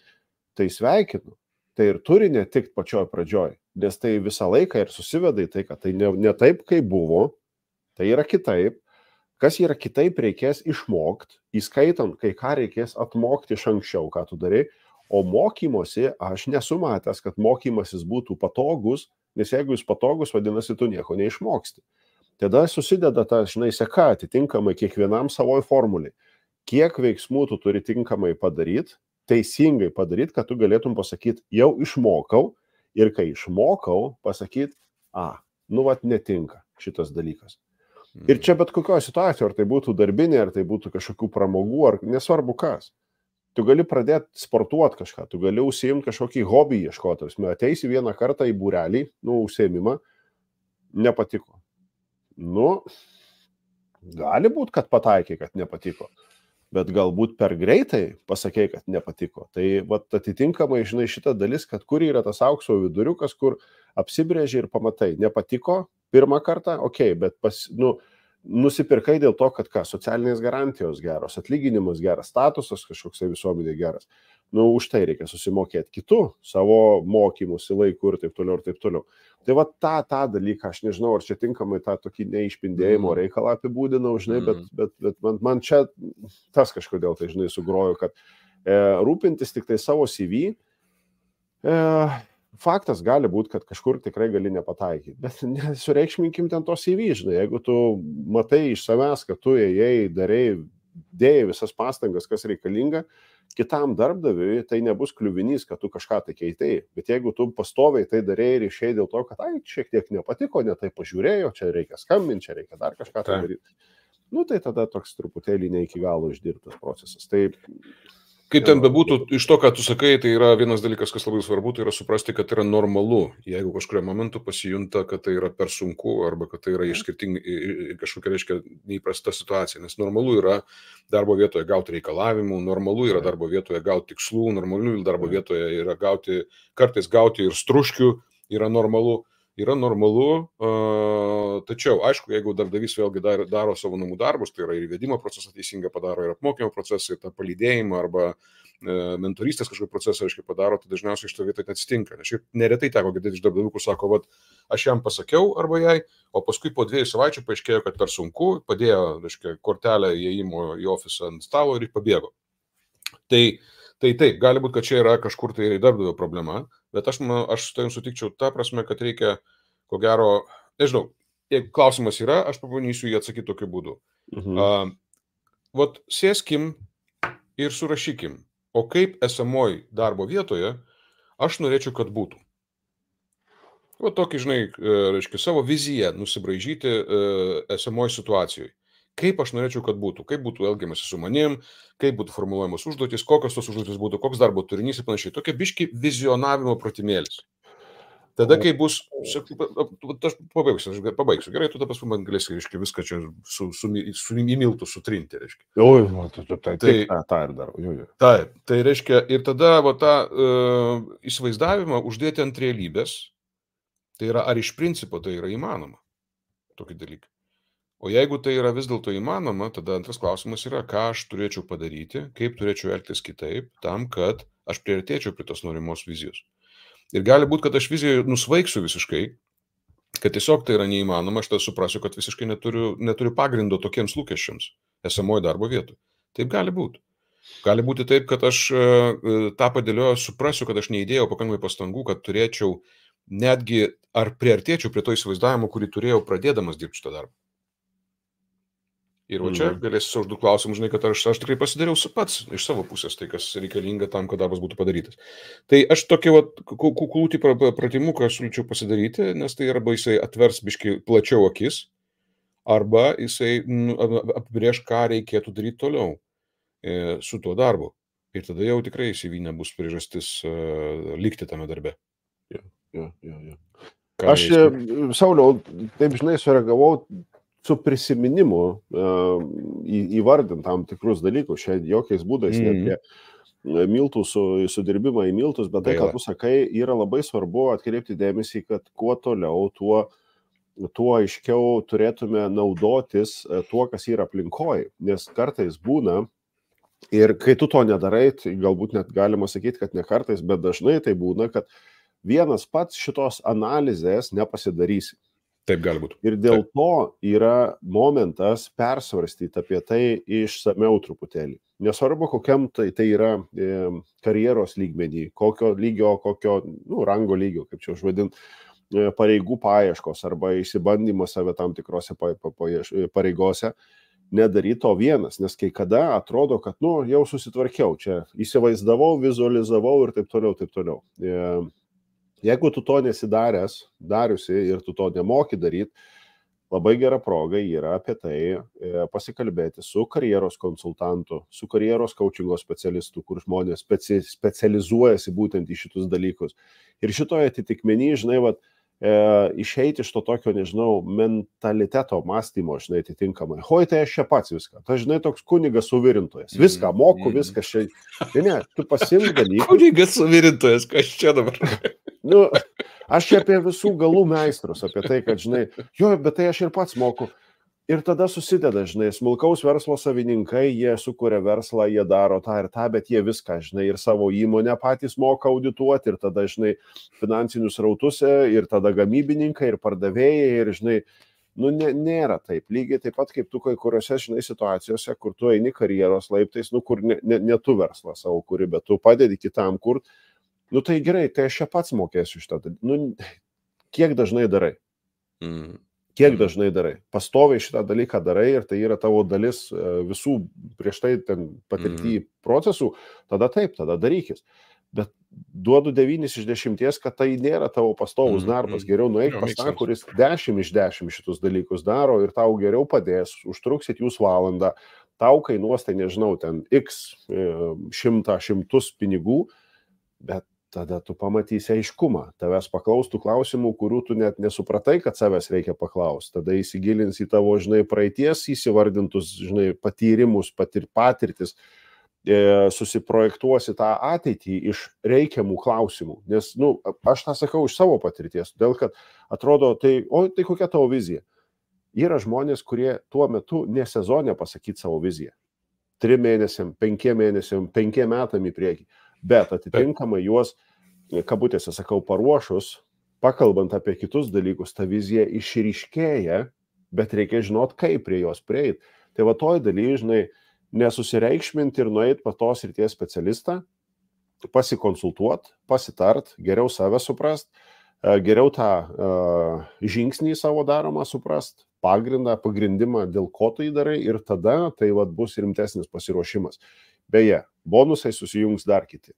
tai sveikinu. Tai ir turi netikti pačioj pradžioj, nes tai visą laiką ir susiveda į tai, kad tai ne taip, kaip buvo, tai yra kitaip. Kas yra kitaip, reikės išmokti, įskaitant, kai ką reikės atmokti iš anksčiau, ką tu darai. O mokymosi aš nesu matęs, kad mokymasis būtų patogus, nes jeigu jis patogus, vadinasi, tu nieko neišmoksti. Tada susideda ta, seka atitinkamai kiekvienam savoj formuliai. Kiek veiksmų tu turi tinkamai padaryti, teisingai padaryti, kad tu galėtum pasakyti, jau išmokau, ir kai išmokau, pasakyti, netinka šitas dalykas. Ir čia bet kokioje situacijoje, ar tai būtų darbinė, ar tai būtų kažkokių pramogų, ar nesvarbu kas. Tu gali pradėti sportuoti kažką, tu gali užsiimti kažkokį hobį ieškoti. Ateisi vieną kartą į būrelį, užsiėmimą, nepatiko. Gali būti, kad pataikai, kad nepatiko, bet galbūt per greitai pasakei, kad nepatiko. Tai atitinkamai, šita dalis, kad kur yra tas aukso viduriukas, kur apsibrėži ir pamatai, nepatiko pirmą kartą, bet nusipirkai dėl to, kad socialinės garantijos geros, atlyginimas geras, statusas kažkoksai visuomenė geras. Už tai reikia susimokėti kitų savo mokymusi laikų ir taip toliau ir taip toliau. Tai tą dalyką, aš nežinau, ar čia tinkamai tą tokį neišpindėjimo reikalą apibūdinau, bet man čia tas kažkodėl tai, sugrojo, kad rūpintis tik tai savo CV, faktas gali būti, kad kažkur tikrai gali nepataikyti, bet nesureikšminkim ten to CV, jeigu tu matai iš savęs, kad tu ėjai, darėjai, dėjai visas pastangas, kas reikalinga, kitam darbdaviui tai nebus kliuvinys, kad tu kažką tai keitei, bet jeigu tu pastoviai tai darėjai ir išėjai dėl to, kad šiek tiek nepatiko, ne tai pažiūrėjau, čia reikia skambinti, čia reikia dar kažką tai daryti, tai tada toks truputėlį ne iki galo išdirbtas procesas. Tai kaip ten bebūtų, iš to, ką tu sakai, tai yra vienas dalykas, kas labai svarbu, tai yra suprasti, kad yra normalu, jeigu kažkurio momentu pasijunta, kad tai yra per sunku arba kad tai yra kažkokia, reiškia, neįprasta situacija, nes normalu yra darbo vietoje gauti reikalavimų, normalu yra darbo vietoje gauti tikslų, normalu darbo vietoje yra kartais gauti ir struškių, yra normalu. Tačiau, aišku, jeigu darbdavys vėlgi daro savo namų darbus, tai yra ir įvedimo procesą teisingą padaro, ir apmokymo procesą, ir tą palydėjimą arba mentorystės kažkokį procesą, aiškiai, padaro, tai dažniausiai iš to vietoj atsitinka. Nes šiaip neretai teko girdėti iš darbdavių, kur sako, aš jam pasakiau arba jai, o paskui po 2 savaičių paaiškėjo, kad per sunku, padėjo, aiškiai, kortelę įėjimo į ofisą ant stalo ir pabėgo. Tai taip, gali būti, kad čia yra kažkur tai darbdavio problema, bet aš su tavim sutikčiau tą prasme, kad reikia, ko gero, nežinau, jeigu klausimas yra, aš pabandysiu jį atsakyti tokiu būdu. Sėskim ir surašykim, o kaip esamoj darbo vietoje aš norėčiau, kad būtų. Tokį, reiškia, savo viziją nusibraižyti esamoj situacijoje. Kaip aš norėčiau, kad būtų, kaip būtų elgiamasi su manim, kaip būtų formuluojamos užduotys, kokios tos užduotys būtų, koks darbo turinys ir panašiai. Tokia biški vizionavimo pratimėlis. Tada, kai bus, aš pabaigsiu, gerai, tu dabar man galėsi, reiškia, viską čia į miltų sutrinti, reiškia. Tai ir darau. Taip, tai reiškia, ir tada tą įsivaizdavimą uždėti ant realybės, tai yra, ar iš principo tai yra įmanoma, tokį dalyką. O jeigu tai yra vis dėlto įmanoma, tada antras klausimas yra, ką aš turėčiau padaryti, kaip turėčiau elgtis kitaip, tam, kad aš priartėčiau prie tos norimos vizijos. Ir gali būti, kad aš vizijoje nusvaigsiu visiškai, kad tiesiog tai yra neįmanoma, aš tada suprasiu, kad visiškai neturiu pagrindo tokiems lūkesčiams esamoje darbo vietoje. Taip gali būti. Gali būti taip, kad aš tą padėlioju, suprasiu, kad aš neįdėjau pakankamai pastangų, kad turėčiau netgi ar priartėčiau prie to įsivaizdavimo, kurį turėjau pradėdamas dirbti šitą darbą. Ir čia galėsiu užduoti klausimus, kad aš tikrai pasidariau pats iš savo pusės, tai kas reikalinga tam, kad darbas būtų padarytas. Tai aš tokį kuklūtį pratimuką siūlyčiau pasidaryti, nes tai arba jisai atvers biškai plačiau akis, arba jisai apibrėž, ką reikėtų daryti toliau su tuo darbu. Ir tada jau tikrai CV nebus priežastis likti tame darbe. Aš, Sauliau, taip sureagavau su prisiminimu įvardint tam tikrus dalykus, čia jokiais būdais miltų sudirbimą į miltus, bet tai, ką tu sakai, yra labai svarbu atkreipti dėmesį, kad kuo toliau, tuo aiškiau turėtume naudotis tuo, kas yra aplinkoje, nes kartais būna, ir kai tu to nedarai, tai galbūt net galima sakyti, kad ne kartais, bet dažnai tai būna, kad vienas pats šitos analizės nepasidarysi. Taip gali būti. Ir dėl to yra momentas persvarstyti apie tai išsameu truputėlį. Nesvarbu, kokiam tai yra karjeros lygmenį, kokio lygio, rango lygio, kaip čia užvadint, pareigų paieškos arba išsibandymo save tam tikrose pareigose, nedaryti to vienas, nes kai kada atrodo, kad jau susitvarkiau, čia įsivaizdavau, vizualizavau ir taip toliau. Jeigu tu to dariusi ir tu to nemoki daryti, labai gera proga yra apie tai pasikalbėti su karjeros konsultantu, su karjeros coachingo specialistu, kur žmonės specializuojasi būtent į šitus dalykus. Ir šitoje atitikmenį, išeiti iš to tokio, mentaliteto mąstymo, atitinkamai. Tai aš čia pats viską. Tai, toks kunigas suvirintojas. Viską moku, viską čia. Ne, tu pasimk dalykus. Kunigas suvirintojas, kas čia dabar? Aš čia apie visų galų meistrus, apie tai, kad, bet tai aš ir pats moku. Ir tada susideda, smulkaus verslo savininkai, jie sukuria verslą, jie daro tą ir tą, bet jie viską, ir savo įmonę patys moka audituoti, ir tada, finansinius rautus, ir tada gamybininkai, ir pardavėjai, ir, nėra taip. Lygiai taip pat, kaip tu kai kuriuose, situacijose, kur tu eini karjeros laiptais, kur ne tu verslą savo kuri, bet tu padedi kitam kur, tai gerai, tai aš čia pats mokėsiu šitą. Kiek dažnai darai? Kiek dažnai darai? Pastoviai šitą dalyką darai ir tai yra tavo dalis visų prieš tai ten patirtį procesų, tada taip, tada darykis. Bet duodu 9 iš 10, kad tai nėra tavo pastovus darbas. Geriau nueik pas tą, kuris 10 iš 10 šitus dalykus daro ir tau geriau padės, užtruksit jūs valandą, tau kainuos, tai nežinau, ten x šimtus pinigų, bet tada tu pamatysi aiškumą. Tavęs paklaustų klausimų, kurių tu net nesupratai, kad savęs reikia paklausti. Tada įsigilins į tavo, praeities įsivardintus, patyrimus, patirtis, susiprojektuosi tą ateitį iš reikiamų klausimų. Nes, aš tą sakau iš savo patirties, todėl kad atrodo, tai kokia tavo vizija? Yra žmonės, kurie tuo metu ne sezone pasakyti savo viziją. 3 mėnesiam, 5 mėnesiam, 5 metam į priekį. Bet atitinkamai juos, kabutėse sakau, paruošus, pakalbant apie kitus dalykus, ta vizija išryškėja, bet reikia žinot, kaip prie jos prieiti. Tai va toj daly, nesusireikšminti ir nueiti pas tos srities specialistą, pasikonsultuoti, pasitart, geriau save suprast, geriau tą žingsnį savo daromą suprast, pagrindimą, dėl ko tai darai ir tada tai bus rimtesnis pasiruošimas. Beje, bonusai susijungs dar kiti.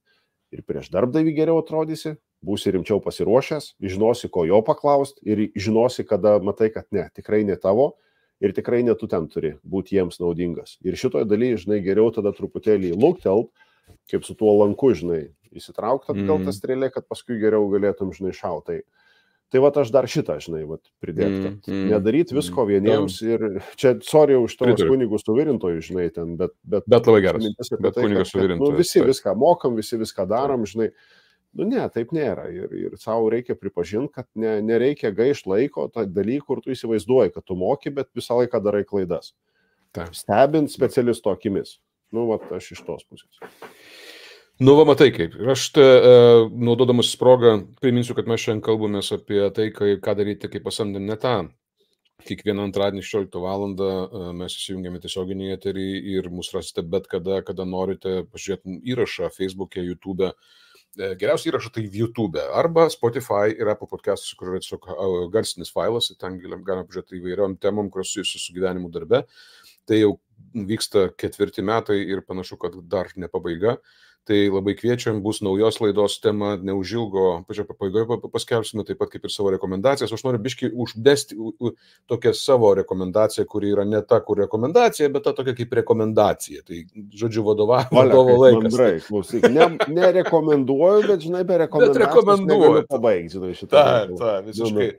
Ir prieš darbdavį geriau atrodysi, būsi rimčiau pasiruošęs, žinosi, ko jo paklausti ir žinosi, kada matai, kad ne, tikrai ne tavo ir tikrai ne tu ten turi būti jiems naudingas. Ir šitoje dalyje, geriau tada truputėlį luktelt, kaip su tuo lanku, įsitraukti atgal tą strėlę, kad paskui geriau galėtum, šautai. Tai aš dar šitą, pridėti, kad nedaryti visko vieniems ir čia, sorry už tavos kunigų suvirintojų, ten, bet labai geras, bet kunigas suvirintojų. Visi viską mokam, visi viską darom, ne, taip nėra ir savo reikia pripažinti, kad nereikia gaišti laiko tą dalykų, kur tu įsivaizduoji, kad tu moki, bet visą laiką darai klaidas. Stebint specialisto akimis. Aš iš tos pusės. Matai kaip. Ir aš naudodamas progą priminsiu, kad mes šiandien kalbamės apie tai, ką daryti, kai pasamdėm ne tą. Kiekvieną antradienį 16 valandą mes įsijungiame tiesioginį eterį ir mus rasite bet kada norite pažiūrėti įrašą Facebook'e, YouTube'e. Geriausia įrašą tai YouTube arba Spotify ir Apple Podcastus, kur yra tiesiog garsinis failas, ten galime pažiūrėti įvairiom temom, kurios susijusios su gyvenimu darbe. Tai jau vyksta 4 metai ir panašu, kad dar ne pabaiga. Tai labai kviečiam, bus naujos laidos tema, neužilgo, pačioje pabaigoje paskelbsime, taip pat kaip ir savo rekomendacijas. Aš noriu biškį uždėsti tokią savo rekomendaciją, kuri yra ne ta, kur rekomendacija, bet ta tokia kaip rekomendacija. Tai, žodžiu, vadovo laikas. Mandrai, klausyk, nerekomenduoju, bet, be rekomendacijos negaliu pabaigti šitą. Ta, visiškai.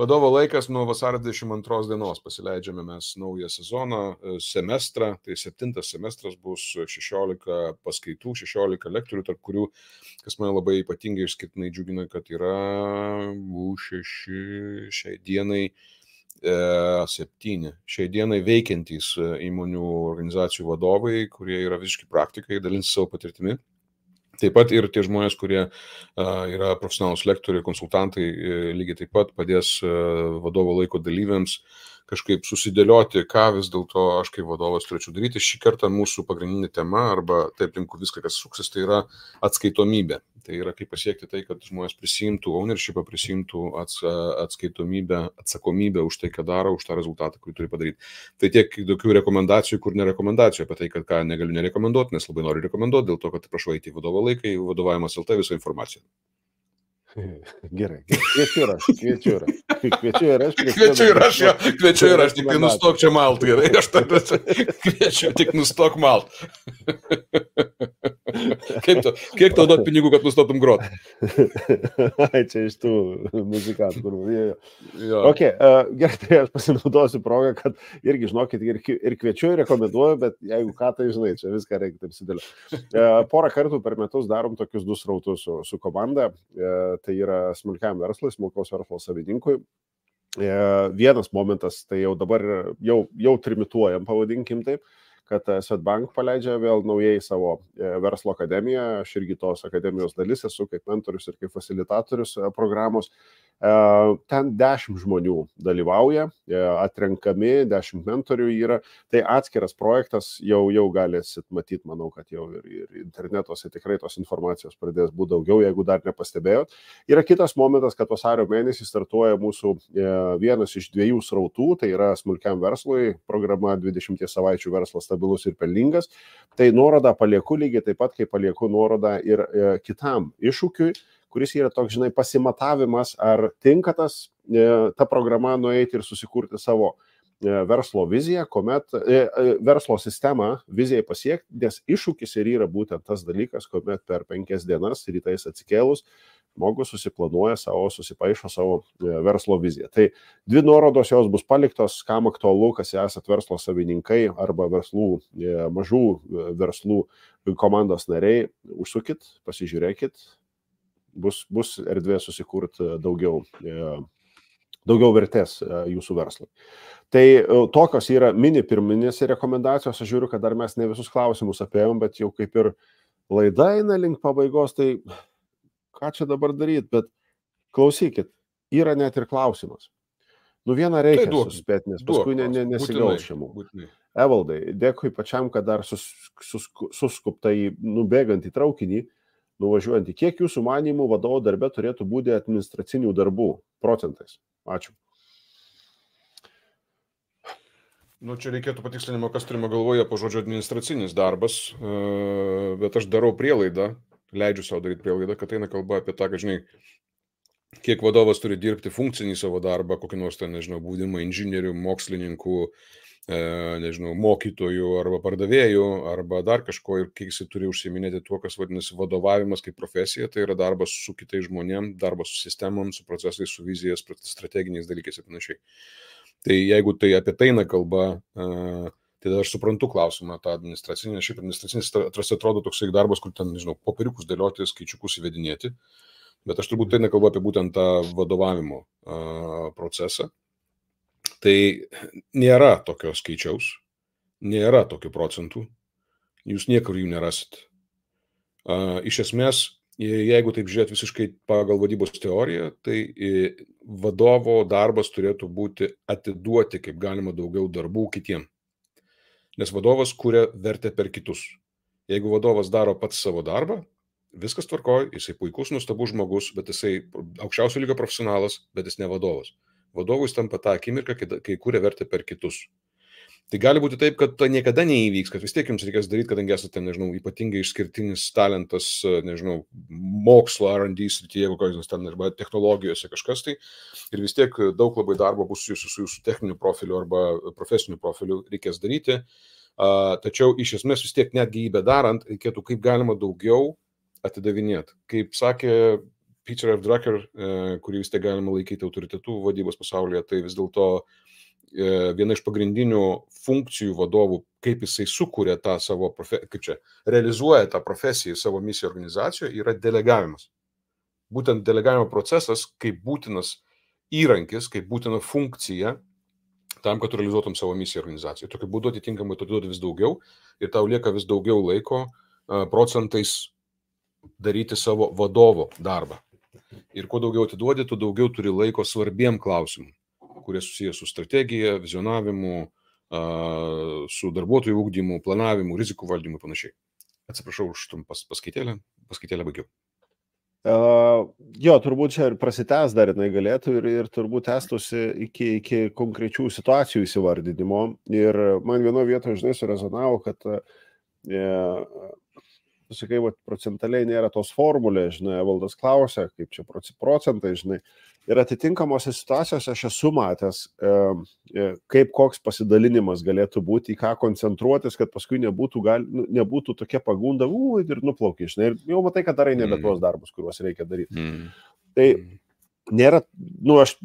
Vadovo laikas nuo vasario 22 dienos pasileidžiame mes naują sezoną, semestrą, tai 7 semestras bus 16 paskaitų, 16 lektorių, tarp kurių, kas mane labai ypatingai išskirtinai džiugina, kad yra 6 šiai dienai 7 šiai dienai veikiantys įmonių organizacijų vadovai, kurie yra visiškai praktikai, dalinsi savo patirtimi. Taip pat ir tie žmonės, kurie yra profesionalūs lektoriai, konsultantai, lygiai taip pat padės vadovo laiko dalyviams kažkaip susidėlioti, ką vis dėlto aš kaip vadovas turėčiau daryti. Šį kartą mūsų pagrindinė tema, arba taip link viską, kas suksis, tai yra atskaitomybė. Tai yra kaip pasiekti tai, kad žmonės prisimtų ownershipą, prisimtų atskaitomybę, atsakomybę už tai, ką daro, už tą rezultatą, kurį turi padaryti. Tai tiek tokių rekomendacijų, kur nerekomendacijų, apie tai, kad ką negaliu nerekomenduoti, nes labai noriu rekomenduoti, dėl to, kad prašau eiti į vadovo laiką, į vadovavimas LT visą informaciją. Gerai, kviečiu ir aš. Kviečiu ir aš, tik tai nustok čia malt, gerai, aš kviečiu, tik nustok malt. Kiek tau duot pinigų, kad nustotum grot? Ai, čia iš tų muzikantų. Ok, gerai, tai aš pasinaudosiu progą, kad irgi, žinokit, ir kviečiu, ir rekomenduoju, bet jeigu ką, tai žinai, čia viską reikia taip sudėlioti. Porą kartų per metus darom tokius 2 srautus su komanda. Tai yra smulkiam verslui, smulkaus verslo savininkui. Vienas momentas, tai jau dabar jau trimituojam, pavadinkim taip, kad Swedbank paleidžia vėl naujai savo verslo akademiją. Aš irgi tos akademijos dalis esu kaip mentorius ir kaip fasilitatorius programos. Ten 10 žmonių dalyvauja, atrenkami, 10 mentorių yra. Tai atskiras projektas, jau galėsit matyti, manau, kad jau ir internetuose tikrai tos informacijos pradės būti daugiau, jeigu dar nepastebėjot. Yra kitas momentas, kad vasario mėnesį startuoja mūsų vienas iš 2 srautų, tai yra smulkiam verslui programa 20 savaičių verslas stabilus ir pelningas. Tai nuorodą palieku lygiai taip pat, kaip palieku nuorodą ir kitam iššūkiui, kuris yra toks, žinai, pasimatavimas, ar tinka ta programa nueiti ir susikurti savo verslo viziją, kuomet verslo sistemą vizijai pasiekti, nes iššūkis ir yra būtent tas dalykas, kuomet per 5 dienas rytais atsikėlus žmogus susipaišo savo verslo viziją. Tai 2 nuorodos jos bus paliktos, kam aktualu, kas esat verslo savininkai arba mažų verslų komandos nariai, užsukit, pasižiūrėkit. Bus erdvė susikurti daugiau vertės jūsų verslui. Tai tokios yra mini pirminės rekomendacijos. Aš žiūriu, kad dar mes ne visus klausimus apėjom, bet jau kaip ir laida eina link pabaigos, tai ką čia dabar daryti, bet klausykit, yra net ir klausimas. Vieną reikia suspėti, nes paskui nesigaus šiamų. Evaldai, dėkui pačiam, kad dar suskuptai nubėgant į traukinį, nuvažiuojant. Kiek jūsų manymų vadovo darbe turėtų būti administracinių darbų procentais? Ačiū. Čia reikėtų patikslinimo, kas turime galvoje po žodžio administracinis darbas, bet aš darau prielaidą, leidžiu savo daryti prielaidą, kad eina kalba apie tą, kad, žinai, kiek vadovas turi dirbti funkcinį savo darbą, kokį nors, būdimą inžinierių, mokslininkų, mokytojų arba pardavėjų arba dar kažko, ir kiek jisai turi užsiiminėti tuo, kas vadinasi vadovavimas kaip profesija, tai yra darbas su kitais žmonėm, darbas su sistemom, su procesais, su vizijas, strateginiais dalykais ir panašiai. Tai jeigu tai apie tai eina kalba, tai aš suprantu klausimą tą administracinį, šiaip administracinis atrodo toksai darbas, kur ten, popieriukus dėlioti, skaičiukus įvedinėti, bet aš turbūt tai eina kalba apie būtent tą vadovavimo procesą. Tai nėra tokio skaičiaus, nėra tokių procentų, jūs niekur jų nerasit. Iš esmės, jeigu taip žiūrėt visiškai pagal vadybos teoriją, tai vadovo darbas turėtų būti atiduoti kaip galima daugiau darbų kitiem. Nes vadovas kuria vertę per kitus. Jeigu vadovas daro pats savo darbą, viskas tvarkoj, jisai puikus, nuostabus žmogus, bet jisai aukščiausio lygio profesionalas, bet jis ne vadovas. Vadovui tampa tą akimirką, kai kuria vertę per kitus. Tai gali būti taip, kad tai niekada neįvyks, kad vis tiek jums reikės daryti, kadangi esate, ypatingai išskirtinis talentas, mokslo, R&D srityje, kokios ten, arba technologijose kažkas tai, ir vis tiek daug labai darbo bus su jūsų techniniu profiliu arba profesiniu profiliu reikės daryti. Tačiau iš esmės vis tiek netgi jį bedarant, reikėtų kaip galima daugiau atidavinėti. Kaip sakė Peter F. Drucker, kurį vis tiek galima laikyti autoritetų vadybos pasaulyje, tai vis dėlto viena iš pagrindinių funkcijų vadovų, kaip jisai sukuria tą savo realizuoja tą profesiją, savo misiją organizacijoje, yra delegavimas. Būtent delegavimo procesas kaip būtinas įrankis, kaip būtina funkcija tam, kad realizuotum savo misiją organizacijoje. Tokiu būdu atitinkamai tu duodi vis daugiau ir tau lieka vis daugiau laiko procentais daryti savo vadovo darbą. Ir kuo daugiau atiduodi, tu daugiau turi laiko svarbiem klausimam, kurie susijęs su strategija, vizionavimu, su darbuotojų ugdymu, planavimu, rizikų valdymu ir panašiai. Atsiprašau už trumpas paskaitėlę baigiau. Jo, turbūt čia ir prasitęs dar jinai galėtų ir turbūt tęstųsi iki konkrečių situacijų įsivardinimo. Ir man vienoje vietoje, žinai, surezonavo, kad sakai, procentaliai nėra tos formulės, žinai, Evaldas klausia, kaip čia procentai, žinai. Ir atitinkamose situacijose aš esu matęs, kaip koks pasidalinimas galėtų būti, į ką koncentruotis, kad paskui nebūtų tokia pagunda, ir nuplaukia, žinai. Ir jau matai, kad darai nebe tuos darbus, kuriuos reikia daryti. Tai nėra, aš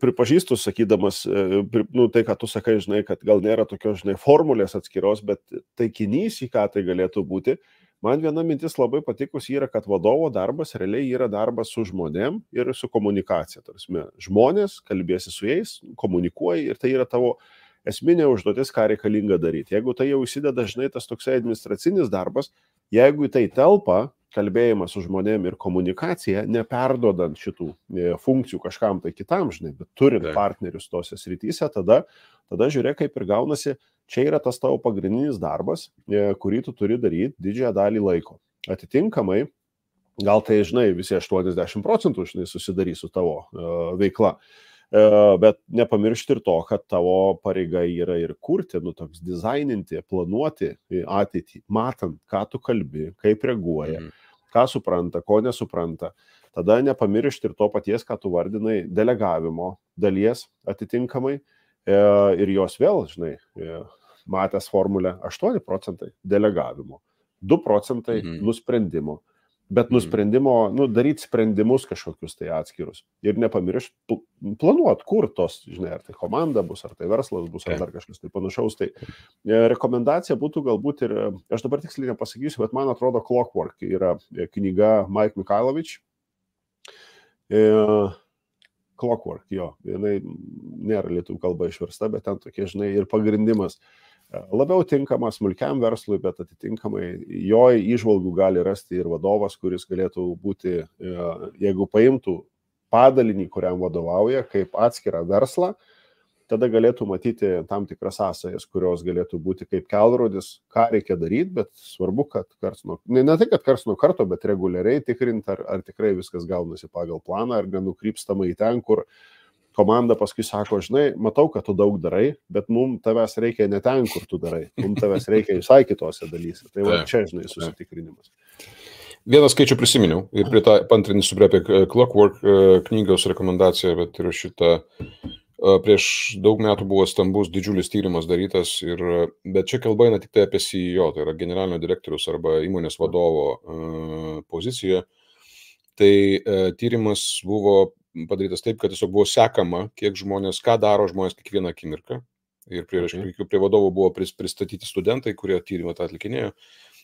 pripažįstu, sakydamas, tai, ką tu sakai, žinai, kad gal nėra tokios, žinai, formulės atskiros, bet taikinys, į ką tai galėtų būti. Man viena mintis labai patikus yra, kad vadovo darbas realiai yra darbas su žmonėm ir su komunikacija. Tarsi, žmonės, kalbėsi su jais, komunikuoji ir tai yra tavo esminė užduotis, ką reikalinga daryti. Jeigu tai jau įsideda, žinai, tas toksai administracinis darbas, jeigu į tai telpa kalbėjimas su žmonėm ir komunikacija, neperdodant šitų funkcijų kažkam tai kitam, žinai, bet turint partnerius tose srityse, tada žiūrėk, kaip ir gaunasi. Čia yra tas tavo pagrindinis darbas, kurį tu turi daryti didžiąją dalį laiko. Atitinkamai, gal tai, žinai, visi 80%, žinai, susidarys su tavo veikla, bet nepamiršti ir to, kad tavo pareiga yra ir kurti, toks dizaininti, planuoti ateitį, matant, ką tu kalbi, kaip reaguoja, ką supranta, ko nesupranta. Tada nepamiršti ir to paties, ką tu vardinai, delegavimo dalies atitinkamai ir jos vėl, žinai, matęs formulę 8% delegavimo, 2% nusprendimo, bet nusprendimo, daryti sprendimus kažkokius tai atskirus ir nepamiršti planuoti, kur tos, žinai, ar tai komanda bus, ar tai verslas bus, ar dar kažkas tai panašaus. Tai rekomendacija būtų galbūt ir, aš dabar tiksliai nepasakysiu, bet man atrodo Clockwork yra knyga Mike Mikhailovič. Clockwork, jo, jinai nėra lietuvių kalba išversta, bet ten tokie, žinai, ir pagrindimas labiau tinkamas smulkiam verslui, bet atitinkamai jo įžvalgų gali rasti ir vadovas, kuris galėtų būti, jeigu paimtų padalinį, kuriam vadovauja, kaip atskirą verslą, tada galėtų matyti tam tikras sąsajas, kurios galėtų būti kaip kelrodis, ką reikia daryti, bet svarbu, kad ne tai, kad karts nuo karto, bet reguliariai tikrinti, ar tikrai viskas gaunasi pagal planą, ar nenukrypstama į ten, kur komanda paskui sako, žinai, matau, kad tu daug darai, bet mums tavęs reikia ne ten, kur tu darai, mums tavęs reikia visai kitose dalyse. Tai va čia, žinai, susitikrinimas. Vieną skaičių prisiminiau ir pantrinsiu apie Clockwork knygos rekomendaciją, bet ir šitą prieš daug metų buvo stambus didžiulis tyrimas darytas, bet čia kalba eina tik tai apie CEO, tai yra generalinio direktorius arba įmonės vadovo poziciją. Tai tyrimas buvo padarytas taip, kad tiesiog buvo sekama, kiek žmonės, ką daro žmonės kiekvieną akimirką. Ir prie vadovų buvo pristatyti studentai, kurie tyrimą tą atlikinėjo.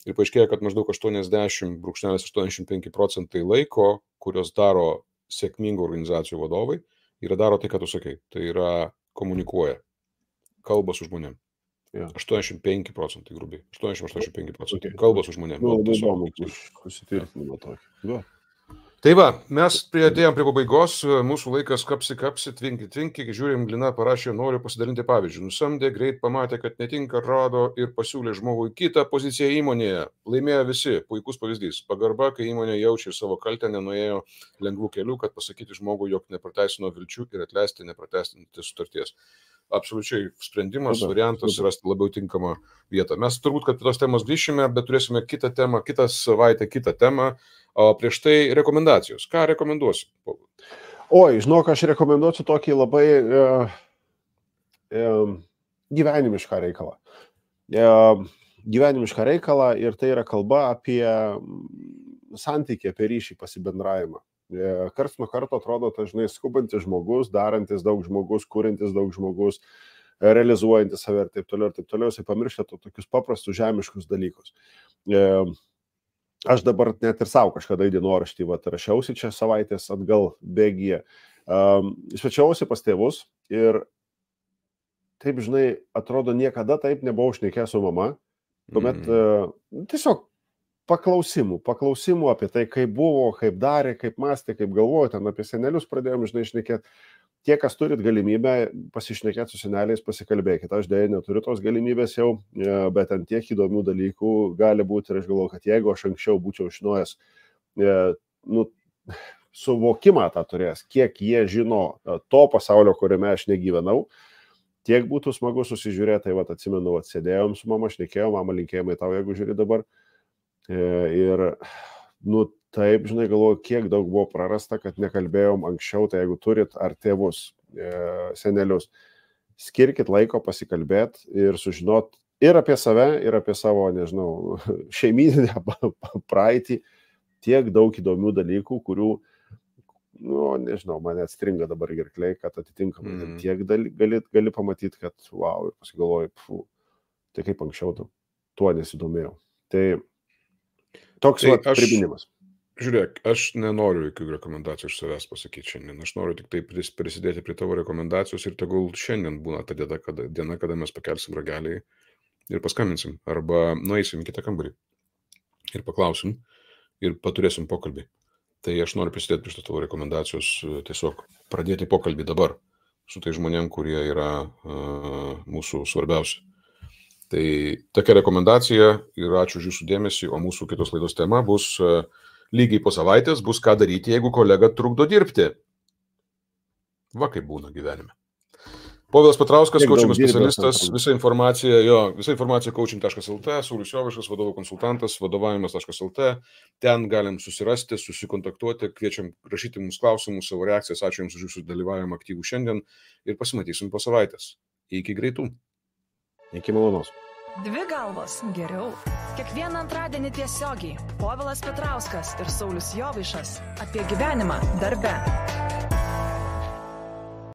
Ir paaiškėjo, kad maždaug 80,85% laiko, kurios daro sėkmingų organizacijų vadovai, daro tai, ką tu sakai. Tai yra komunikuoja, kalba su žmonėm. 85% grubiai. 80-85% kalba su žmonėm. Labai įdomu, susitvirtinimo tokį. Tai va, mes priėjom prie pabaigos, mūsų laikas kapsi, tvinki, žiūrim, Lina parašė, noriu pasidalinti pavyzdžių. Nusamdė, greit pamatė, kad netinka, rado ir pasiūlė žmogui kitą poziciją įmonėje. Laimėjo visi, puikus pavyzdys. Pagarba, kai įmonė jaučia savo kaltę, nenuėjo lengvų kelių, kad pasakyti žmogui, jog neprateisino vilčių ir atleisti neprateisinti sutarties. Absoliučiai sprendimas, variantas rasti labiau tinkamą vietą. Mes turbūt, kad prie tos temos grįšime, bet turėsime kitą temą, kitą savaitę, kitą temą. O prieš tai rekomendacijos. Ką rekomenduosi? Oi, žinok, aš rekomenduosiu tokį labai gyvenimišką reikalą. Gyvenimišką reikalą ir tai yra kalba apie santykį, apie ryšį, pasibendravimą. Karts nuo karto atrodo, dažnai skubantis žmogus, darantis daug žmogus, kūrintis daug žmogus, realizuojantis save ir taip toliau, jisai pamiršta tokius paprastus žemiškus dalykus. Aš dabar net ir savo kažkada į dienoraštį rašiausi čia savaitės atgal bėgyje. Svečiausi pas tėvus ir taip, žinai, atrodo, niekada taip nebuvau šnekėjęs su mama. Tuomet tiesiog paklausimų apie tai, kaip buvo, kaip darė, kaip mąstė, kaip galvojo, ten apie senelius pradėjom, žinai, šnekėti. Tie, kas turit galimybę pasišnekėti su seneliais, pasikalbėkite. Aš dėja neturiu tos galimybės jau, bet ant tiek įdomių dalykų gali būti. Ir aš galvoju, kad jeigu aš anksčiau būčiau žinojęs, suvokimą tą turės, kiek jie žino to pasaulio, kuriame aš negyvenau, tiek būtų smagu susižiūrėti. Tai atsimenu, sėdėjom su mama, šnekėjom, mama, linkėjimai tau, jeigu žiūri dabar. Ir, taip, žinai, galvoju, kiek daug buvo prarasta, kad nekalbėjom anksčiau, tai jeigu turit ar tėvus, senelius, skirkit laiko pasikalbėti ir sužinot ir apie save, ir apie savo, nežinau, šeimyninę praeitį, tiek daug įdomių dalykų, kurių, nežinau, mane atstringa dabar gerkliai, kad atitinkamai tiek gali pamatyti, kad wow, ir pasigalvoju, tai kaip anksčiau tuo nesidomėjau. Tai toks priminimas. Žiūrėk, aš nenoriu jokių rekomendacijų iš savęs pasakyti šiandien. Aš noriu tik tai prisidėti prie tavo rekomendacijos ir tegul šiandien būna ta diena, kada mes pakelsim ragelį ir paskambinsim. Arba nueisim į kitą kambarį ir paklausim ir paturėsim pokalbį. Tai aš noriu prisidėti prie tavo rekomendacijos, tiesiog pradėti pokalbį dabar su tai žmonėm, kurie yra mūsų svarbiausi. Tai tokia rekomendacija ir ačiū už jūsų dėmesį, o mūsų kitos laidos tema bus lygiai po savaitės, bus ką daryti, jeigu kolega trukdo dirbti. Va kaip būna gyvenime. Povilas Petrauskas, coaching specialistas, visa informacija coaching.lt, Saulius Jovaišas, vadovų konsultantas, vadovavimas.lt. Ten galim susirasti, susikontaktuoti, kviečiam rašyti mums klausimus, savo reakcijas. Ačiū Jums už Jūsų dalyvavimą aktyvų šiandien ir pasimatysim po savaitės. Iki greitų. Iki malonaus. Dvi galvos geriau. Kiekvieną antradienį tiesiogiai Povilas Petrauskas ir Saulius Jovaišas apie gyvenimą darbe.